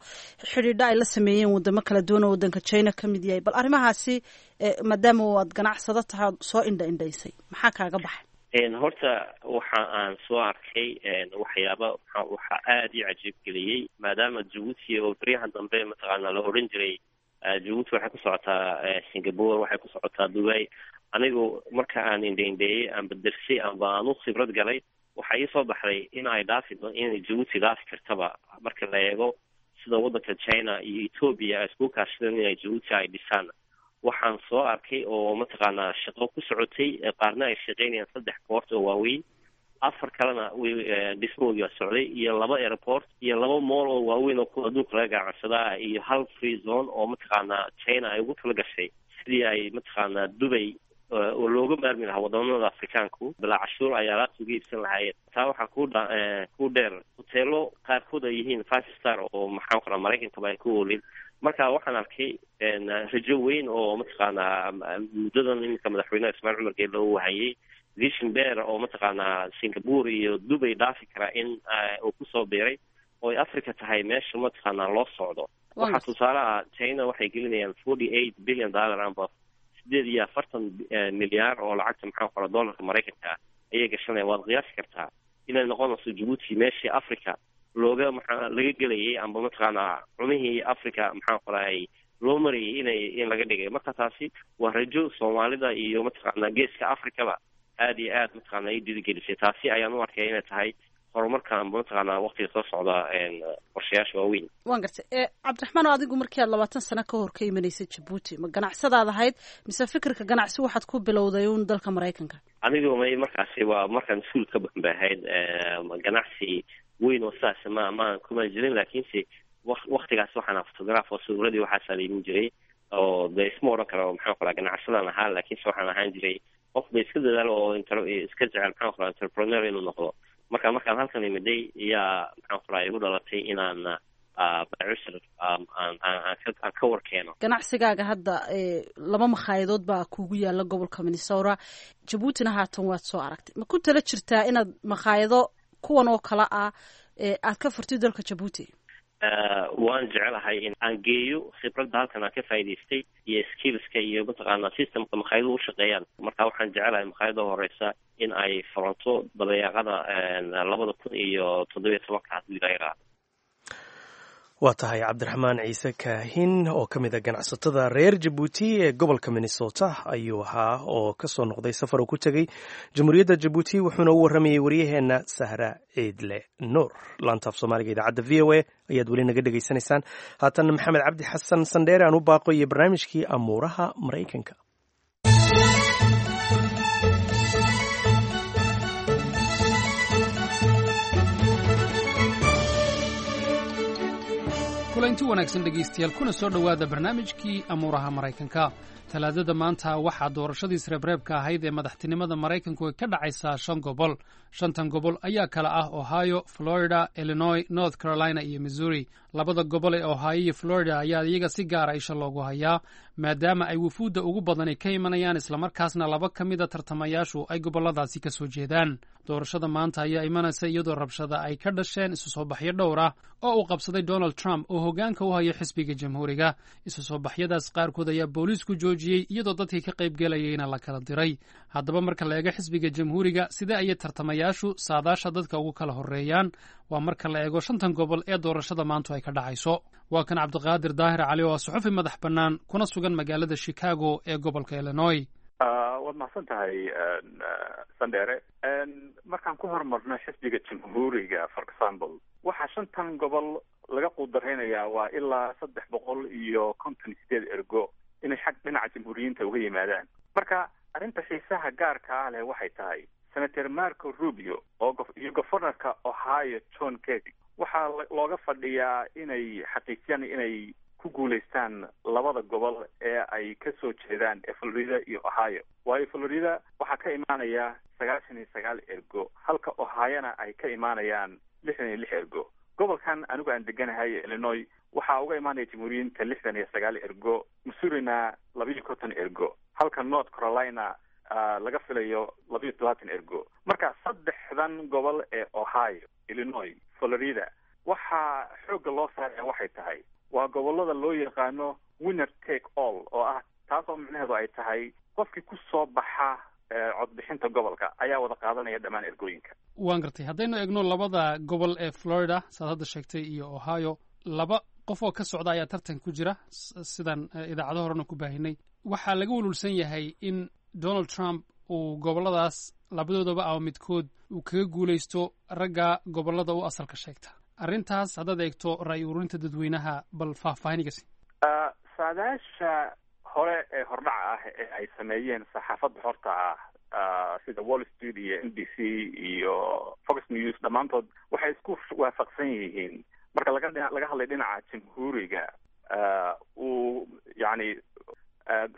xidhiidho ay la sameeyeen wadamo kala duwan oo wadanka China ka mid yahay. Bal arrimahaasi, maadaama aad ganacsado tahay ood soo indha indhaysay, maxaa kaaga baxay? Horta waxa aan soo arkay waxyaaba waxaa aada ii cajiib geliyey, maadaama Jabuuti oo beryahan dambe mataqaana la odhan jiray Jabuuti waxay ku socotaa Singapore, waxay ku socotaa Dubai. Anigu marka aan indheindheeyey amba dersay amba aan u khibrad galay, waxaa ii soo baxday in ay dhaafi, inay Jabuuti dhaafi kartaba, marka la eego sida waddanka China iyo Ethiopia ay isku kaashadeen inay Jabuuti ay dhisaan. Waxaan soo arkay oo mataqaanaa shaqo ku socotay, qaarna ay shaqeynayaan saddex port oo waaweyn, afar kalena dhismahoodii waa socday, iyo laba airport iyo laba mall oo waaweyn oo kuwa adduunka laga ganacsadaa, iyo hal free zone oo mataqaanaa China ay ugu tala gashay sidii ay mataqaanaa Dubay oo looga maarmi lahaa wadamada Afrikaanku bilaa cashuur ay alaabta uga iibsan lahaayeen. Taa waxaa ku dha ku dheer hoteelo qaarkood ay yihiin five star oo maxaan qoraa Maraykankaba ay ku oolin. Marka waxaan arkay rajo weyn oo mataqaanaa muddadan iminka madaxweynaha Ismaaciil Cumar Geelle uu wahayay vision beer oo mataqaanaa Singapore iyo Dubay dhaafi kara in uu kusoo biiray oo ay Africa tahay meesha mataqaanaa loo socdo. Waxaa tusaale ah China waxay gelinayaan forty eight billion dollar amba sideed iyo afartan milyaar oo lacagta maxaa qora dollarka Maraykanka ayay gashanayaan. Waad qiyaasi kartaa inay noqonayso Jabuuti meeshii Africa looga maxaa laga gelayay amba mataqaanaa cunihii Africa maxaa qoraay loo marayay inay in laga dhigay. Marka taasi waa rajo Soomaalida iyo mataqaanaa geeska Africaba aada iyo aad mataqaanaa i dhiirigelisay. Taasi ayaan u arkay inay tahay horumarka amba mataqaanaa waqtiga soo socda qorshayaasha waaweyn. Waan gartay. Cabdiraxmaan, oo adigu markii aad labaatan sano ka hor ka imanaysay Jabuuti, ma ganacsadaad ahayd mise fikirka ganacsi waxaad ku bilowday uun dalka Maraykanka? Anigu may markaasi waa markaan iskuul ka baxan bay ahayd. Ganacsi weyn oo sidaas ma ma kuma jirin, laakiinse waktigaas waxaan ahaa photograph oo sawiradii waxaasaa la imin jiray oo dee isma odhan karo maxaan qoraa ganacsadaan ahaa, laakiinse waxaan ahaan jiray qof ba iska dadaalo oo iska jecel maxaan qoraa entrepreneur inuu noqdo. Marka markaan halkan imiday yaa maxaan qoraa igu dhalatay inaan bacusr aan aan ka war keeno. Ganacsigaaga hadda laba makhaayadood baa kugu yaala gobolka Minnesota, Jabuutina haatan waad soo aragtay. Ma ku tala jirtaa inaad makhaayado kuwan oo kale ah aad ka furtid dalka Jabuuti? Waan jecelahay in aan geeyo khibradda halkan aan ka faa'idaystay iyo skillska iyo mataqaanaa systemka makhaayadu u shaqeeyaan. Marka waxaan jecelahay makhaayada horeysa in ay furanto dabayaaqada labada kun iyo toddobiyo tobanka haddii laga qaado. Waa tahay Cabdiraxmaan Ciise Kaahin oo ka mid a ganacsatada reer Jabuuti ee gobolka Minnesota ayuu ahaa oo ka soo noqday safar uu ku tegey Jamhuuriyadda Jabuuti, wuxuuna u warramayey waryaheenna Sahra Ciidle Nuur. Laantaaf Soomaaliga idaacadda V O A ayaad weli naga dhegaysanaysaan. Haatanna Maxamed Cabdi Xasan Sandheere aan u baaqo iyo barnaamijkii amuuraha Maraykanka. Kulanti wanaagsan dhegaystayaal, kuna soo dhowaada barnaamijkii amuuraha Maraykanka. Talaadada maanta waxaa doorashadii isreebreebka ahayd ee madaxtinimada Maraykanku ay ka dhacaysaa shan gobol. Shantan gobol ayaa kala ah Ohio, Florida, Illinois, North Carolina iyo Missouri. Labada gobol ee Ohio iyo Florida ayaa iyaga si gaara isha loogu hayaa, maadaama ay wufuudda ugu badani ka imanayaan, islamarkaasna laba ka mida tartamayaashu ay gobolladaasi ka soo jeedaan. Doorashada maanta ayaa imanaysa iyadoo rabshada ay ka dhasheen isu soo baxyo dhowr ah oo uu qabsaday Donald Trump oo hoggaanka u haya xisbiga Jamhuuriga. Isu soo baxyadaas qaarkood ayaa booliisku joojiyey, iyadoo dadkii ka qaybgelayeyna la kala diray. Haddaba marka la eego xisbiga Jamhuuriga, sidee ayay tartamayaashu saadaasha dadka ugu kala horreeyaan? Waa marka la eego shantan gobol ee doorashada maantu ay ka dhacayso. Waa kan Cabdiqaadir Daahir Cali oo ah suxufi madax bannaan kuna sugan magaalada Chicago ee gobolka Illinois. Waad mahadsan tahay Sandheere. Markaan ku horumarno xisbiga Jamhuuriga, for example, waxaa shantan gobol laga quudaraynayaa waa ilaa saddex boqol iyo konton iyo sideed ergo inay xag dhinaca jamhuuriyiinta uga yimaadaan. Marka arrinta xiisaha gaarka ah leh waxay tahay Senator Marco Rubio oo iyo governorka Ohio John Kasich waxaa looga fadhiyaa inay xaqiijiyaan inay ku guulaystaan labada gobol ee ay ka soo jeedaan ee Florida iyo Ohio. Waayo Florida waxaa ka imaanaya sagaashan iyo sagaal ergo, halka Ohiona ay ka imaanayaan lixdan iyo lix ergo. Gobolkan anigu aan deganahay Illinois waxaa uga imaanaya jamhuuriyiinta lixdan iyo sagaal ergo, Missourina labiiyo konton ergo, halka North Carolina laga filayo labiiyo todobaatan ergo. Marka saddexdan gobol ee Ohio, Illinois, Florida waxaa xoogga loo saaraya waxay tahay waa gobolada loo yaqaano winner take all, oo ah taasoo micnaheedu ay tahay qofkii ku soo baxa codbixinta gobolka ayaa wada qaadanaya dhammaan ergooyinka. Waan gartay. Haddaynu eegno labada gobol ee Florida saad hadda sheegtay iyo Ohio, laba qof oo ka socda ayaa tartan ku jira, sidaan idaacado horena ku baahinay. Waxaa laga welwelsan yahay in Donald Trump uu gobolladaas labadoodaba ama midkood uu kaga guulaysto ragga gobollada u asalka sheegta. Arrintaas haddaad eegto ra'yi ururinta dadweynaha, bal faahfaahinigasi. Saadaasha hore ee hordhaca ah ee ay sameeyeen saxaafadda xorta ah sida Wall Street iyo N B C iyo Fox News, dhammaantood waxay isku waafaqsan yihiin marka laga laga hadlay dhinaca jamhuuriga uu yacni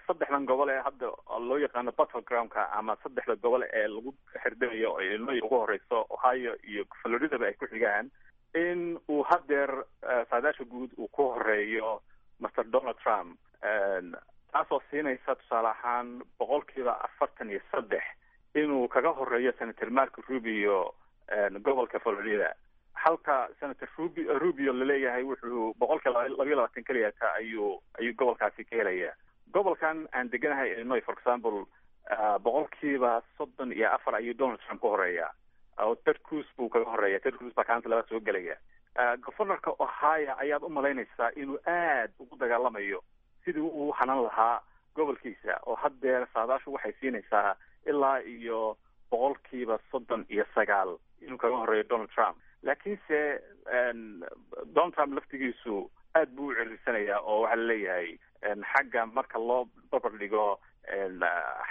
saddexdan gobol ee hadda loo yaqaano battlegroundka ama saddexda gobol ee lagu xirdayo oo Illinois ugu horeyso, Ohio iyo Floridaba ay ku xigaan, in uu haddeer saadaasha guud uu ku horeeyo Mister Donald Trump, taasoo siinaysa tusaale ahaan boqolkiiba afartan iyo saddex inuu kaga horeeyo Senator Marco Rubio gobolka Florida, halka Senator Rubi Rubio laleeyahay wuxuu boqolkiiba labayo labaatan keliyata ayuu ayuu gobolkaasi ka helaya. Gobolkan aan deganahay, Illinois, for example, boqolkiiba soddon iyo afar ayuu Donald Trump ka horeeya oo Ted Cruz buu kaga horeeya. Ted Cruz baa kaanta laba soo gelaya. Governorka Ohio ayaad umalaynaysaa inuu aad ugu dagaalamayo sidii uu hanan lahaa gobolkiisa, oo haddeer saadaashu waxay siinaysaa ilaa iyo boqolkiiba soddon iyo sagaal inuu kaga horeeyo Donald Trump. Laakiinse Donald Trump laftigiisu aad buu u cirirsanayaa, oo waxaa laleeyahay xagga marka loo barbar dhigo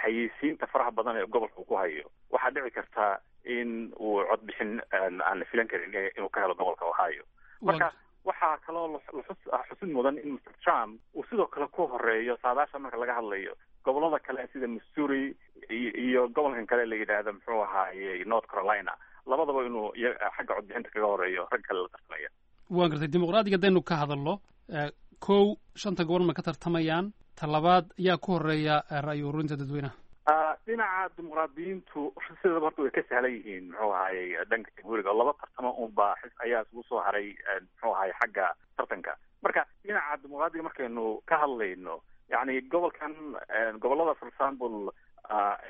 xayeysiinta faraha badan ee gobolka uu ku hayo, waxaa dhici karta in uu codbixin aan la filan karin inuu ka helo gobolka Ohio. Marka waxaa kaloo xusid mudan in Mister Trump uu sidoo kale ku horeeyo saadaasha marka laga hadlayo gobolada kale sida Missouri iyo gobolkan kale la yidhaahdo, muxuu ahaaye, North Carolina, labadaba inuu xagga codbixinta kaga horeeyo rag kale la tartamaya. Waan gartay. Dimuqraadiga haddaynu ka hadalno, kow, shanta gobol ma ka tartamayaan? Ta labaad, yaa ku horeeya ra'yi ururinta dadweynaha? Dhinaca dimuqraadiyiintu sidaba horta way ka sahlan yihiin, muxuu ahayey, dhanka jamhuuriga, oo laba tartamo unba ayaa isugu soo haray, muxuu ahay, xagga tartanka. Marka dhinaca dimuqraadiga markaynu ka hadlayno, yacni gobolkan, gobolada, for example,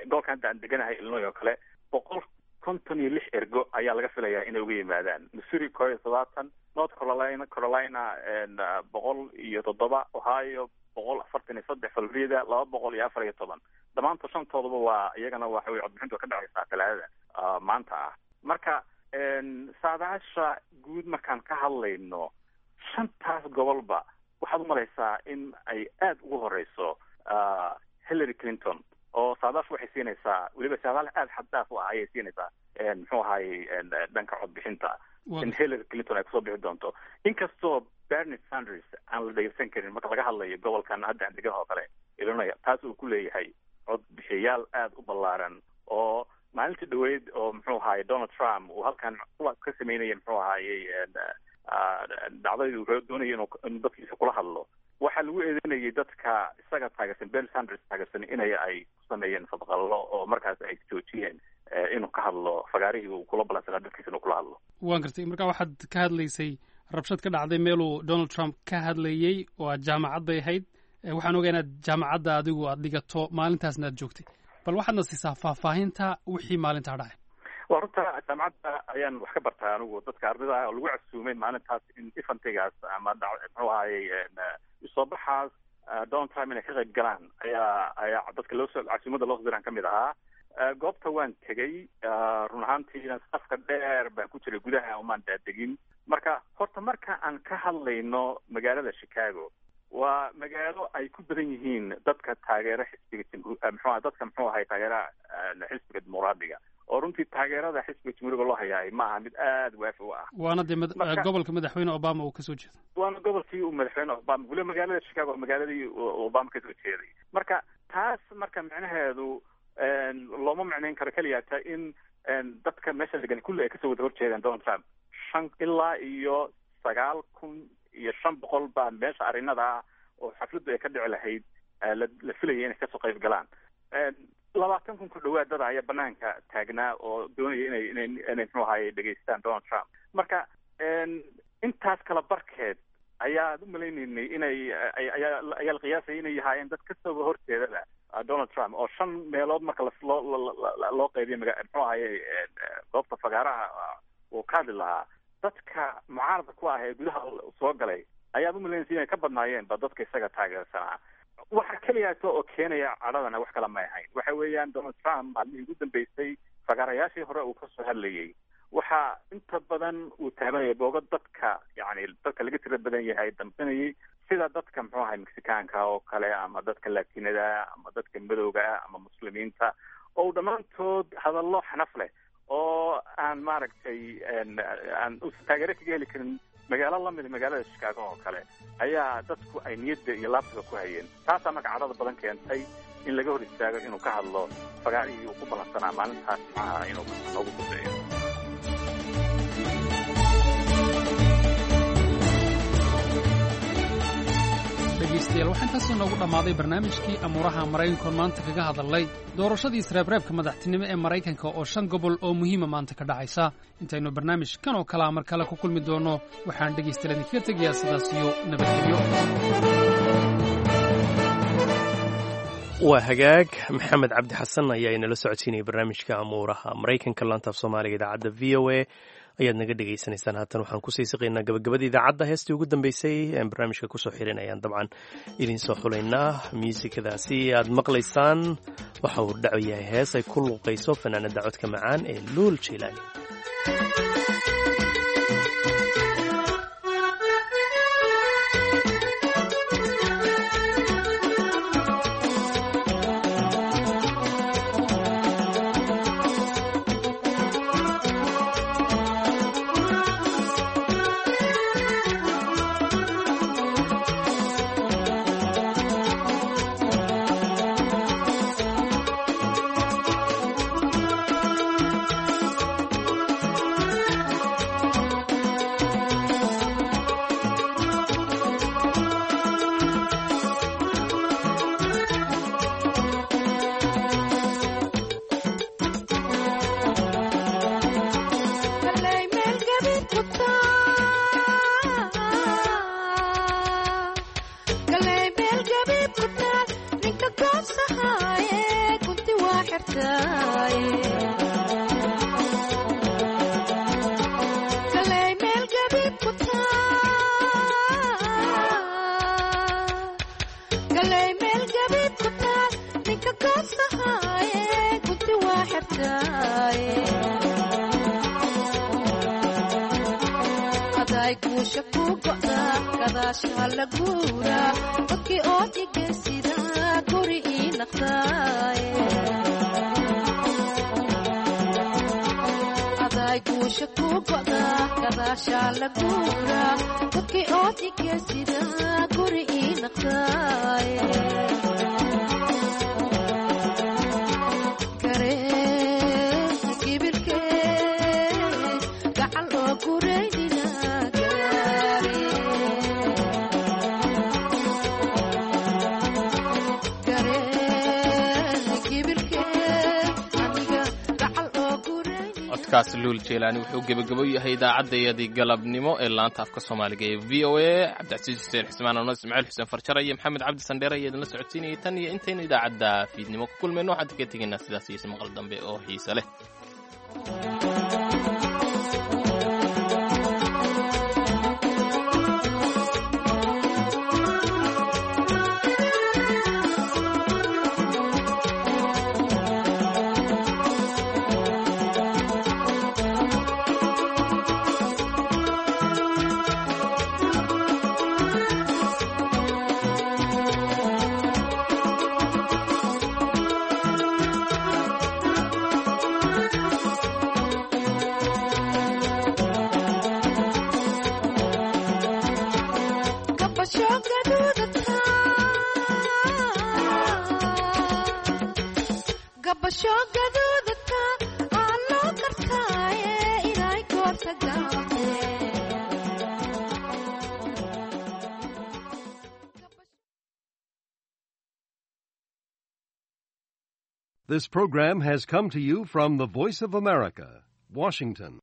gobolkan hadda aan deganahay, Illinois oo kale, boqol konton iyo lix ergo ayaa laga filayaa inay uga yimaadaan, Missouri koo iyo todobaatan, North Carolina Carolina boqol iyo toddoba, Ohio boqol afartan iyo saddex, Florida laba boqol iyo afar iyo toban. Dhammaantood shantoodaba waa iyagana waxa wey codbixintu ka dhacaysaa Talaadada maanta ah. Marka saadaasha guud markaan ka hadlayno, shantaas gobolba waxaad umalaysaa in ay aada ugu horeyso Hillary Clinton, oo saadaashu waxay siinaysaa weliba saadaal aada xad dhaaf u ah ayay siinaysaa, muxuu ahaayey, dhanka codbixinta in Hillary Clinton ay kusoo bixi doonto, inkastoo Bernie Sanders aan la dhegeysan karin marka laga hadlayo gobolkan hadda aan degan oo kale, Illinois, taas uu ku leeyahay codbixiyayaal aada u ballaaran, oo maalintii dhaweyd oo, muxuu ahaayey, Donald Trump uu halkan ka sameynaya, muxuu ahaayey, dhacdadii uu doonaya inuu dadkiisa kula hadlo, waxaa lagu eedeynayay dadka isaga taageersan, Bernie Sanders taageersan, inay ay ku sameeyeen fadqallo oo markaas ay joojiyeen inuu ka hadlo fagaarihii uu kula ballansanaa dadkiisa inuu kula hadlo. Waan gartay. Marka waxaad ka hadlaysay rabshad ka dhacday meeluu Donald Trump ka hadlayey oo aad jaamacad bay ahayd. Waxaan ogaa inaad jaamacadda adigu aad dhigato, maalintaasna aad joogtay. Bal waxaadna siisaa faahfaahinta wixii maalintaa dhacay. Waa runta, jaamacadda ayaan wax ka bartaa anigu. Dadka ardayda ah oo lagu casuumay maalintaas in eventigaas ama muxuu ahayey soo baxaas Donald Trump inay ka qayb galaan ayaa ayaa dadka loosoo casuumadda loo soo diraan kamid ahaa. Goobta waan tegey. Run ahaantiina safka dheer baan ku jiray, gudaha umaan daadegin. Marka horta marka aan ka hadlayno magaalada Chicago, waa magaalo ay ku badan yihiin dadka taageera xisbiga jamhu muxuu dadka, muxuu ahay, taageeraha xisbiga dimuqraadiga, oo runtii taageerada xisbiga jamhuuriga loo hayaay ma aha mid aada waafi u ah. Waana dee gobolka madaxweyne Obama uu kasoo jeedo. Waana gobolkii uu madaxweyne Obama, weliba magaalada Chicago, magaaladii Obama kasoo jeeday. Marka taas marka micnaheedu looma micnayn karo keliyata in dadka meesha degan kulli ay kasoo wada horjeedaan Donald Trump. Shan ilaa iyo sagaal kun iyo shan boqol baa meesha arrinada ah oo xafladdu ay ka dhici lahayd la filayay inay kasoo qayb galaan. Labaatan kun ku dhawaad dada ayaa banaanka taagnaa oo doonaya inay inay inay muxuu ahaye dhegeystaan Donald Trump. Marka intaas kala barkeed ayaad u malaynaynay inay ayaa ayaa la qiyaasaya inay yahaayeen dad kasoo horjeedaba Donald Trump oo shan meelood marka loo loo qaybiyo maga muxuu ahaye goobta fagaaraha uu ka hadli lahaa, dadka mucaaradka ku ah ee gudaha soo galay ayaad umalaynaysa inay ka badnaayeen ba dadka isaga taageersanaa. Waxa keliyaata oo keenaya cadhadana wax kale may ahayn, waxa weeyaan Donald Trump maalmihii ugu dambeysay fagaarayaashii hore uu kasoo hadlayay waxa inta badan uu taabanayay boogo dadka yani dadka laga tira badan yahay damqinayay, sida dadka muxuu ahay Mexicaanka oo kale ama dadka Latinada ama dadka madowga ama Muslimiinta, oo dhammaantood hadallo xanaf leh oo aan maaragtay aan uusan taageero kaga heli karin magaalo lamida magaalada Chicago oo kale ayaa dadku ay niyadda iyo laabtaba ku hayeen. Taasaa marka cadhada badan keentay in laga hor istaago inuu ka hadlo fagaarihii uu ku ballansanaa maalintaas jimcaha inuu noogu dambeeyo. Dhegaystayaal, waxaa intaas inoogu dhammaaday barnaamijkii amuuraha maraykankoon maanta kaga hadalnay doorashadii isreebreebka madaxtinimo ee Maraykanka oo shan gobol oo muhiima maanta ka dhacaysa. Intaynu barnaamij kan oo kalea mar kale ku kulmi doonno, waxaan dhegaystayaal idinkaga tegayaa sidaas iyo nabadgelyo. Waa hagaag, Maxamed Cabdi Xasan ayaa inala socodsiinaya barnaamijka amuuraha Maraykanka. Laantaaf Soomaaliga idaacadda V O A ayaad naga dhegaysanaysaan. Haatan waxaan kusii siqaynaa gabagabada idaacadda. Heestii ugu dambeysay aan barnaamijka kusoo xirin ayaan dabcan idiin soo xulaynaa. Muusikadaasi aad maqlaysaan waxa uu dhaco yahay hees ay ku luuqayso fanaanada codka macaan ee Luul Jaylaani. Codkaas Luul Jeylaani wuxuu gebagabo yahay idaacaddayadii galabnimo ee laanta afka Soomaaliga ee V O A. Cabdicasiis Xuseen Xusmaan, ano Ismaaciil Xuseen Farjara iyo Maxamed Cabdi Sandheere ayaa idinla socodsiinayay. Tan iyo intaynu idaacadda fiidnimo ku kulmayno, waxaan kaga tegaynaa sidaas iyo ismaqal dambe oo xiise leh. This program has come to you from the Voice of America, Washington.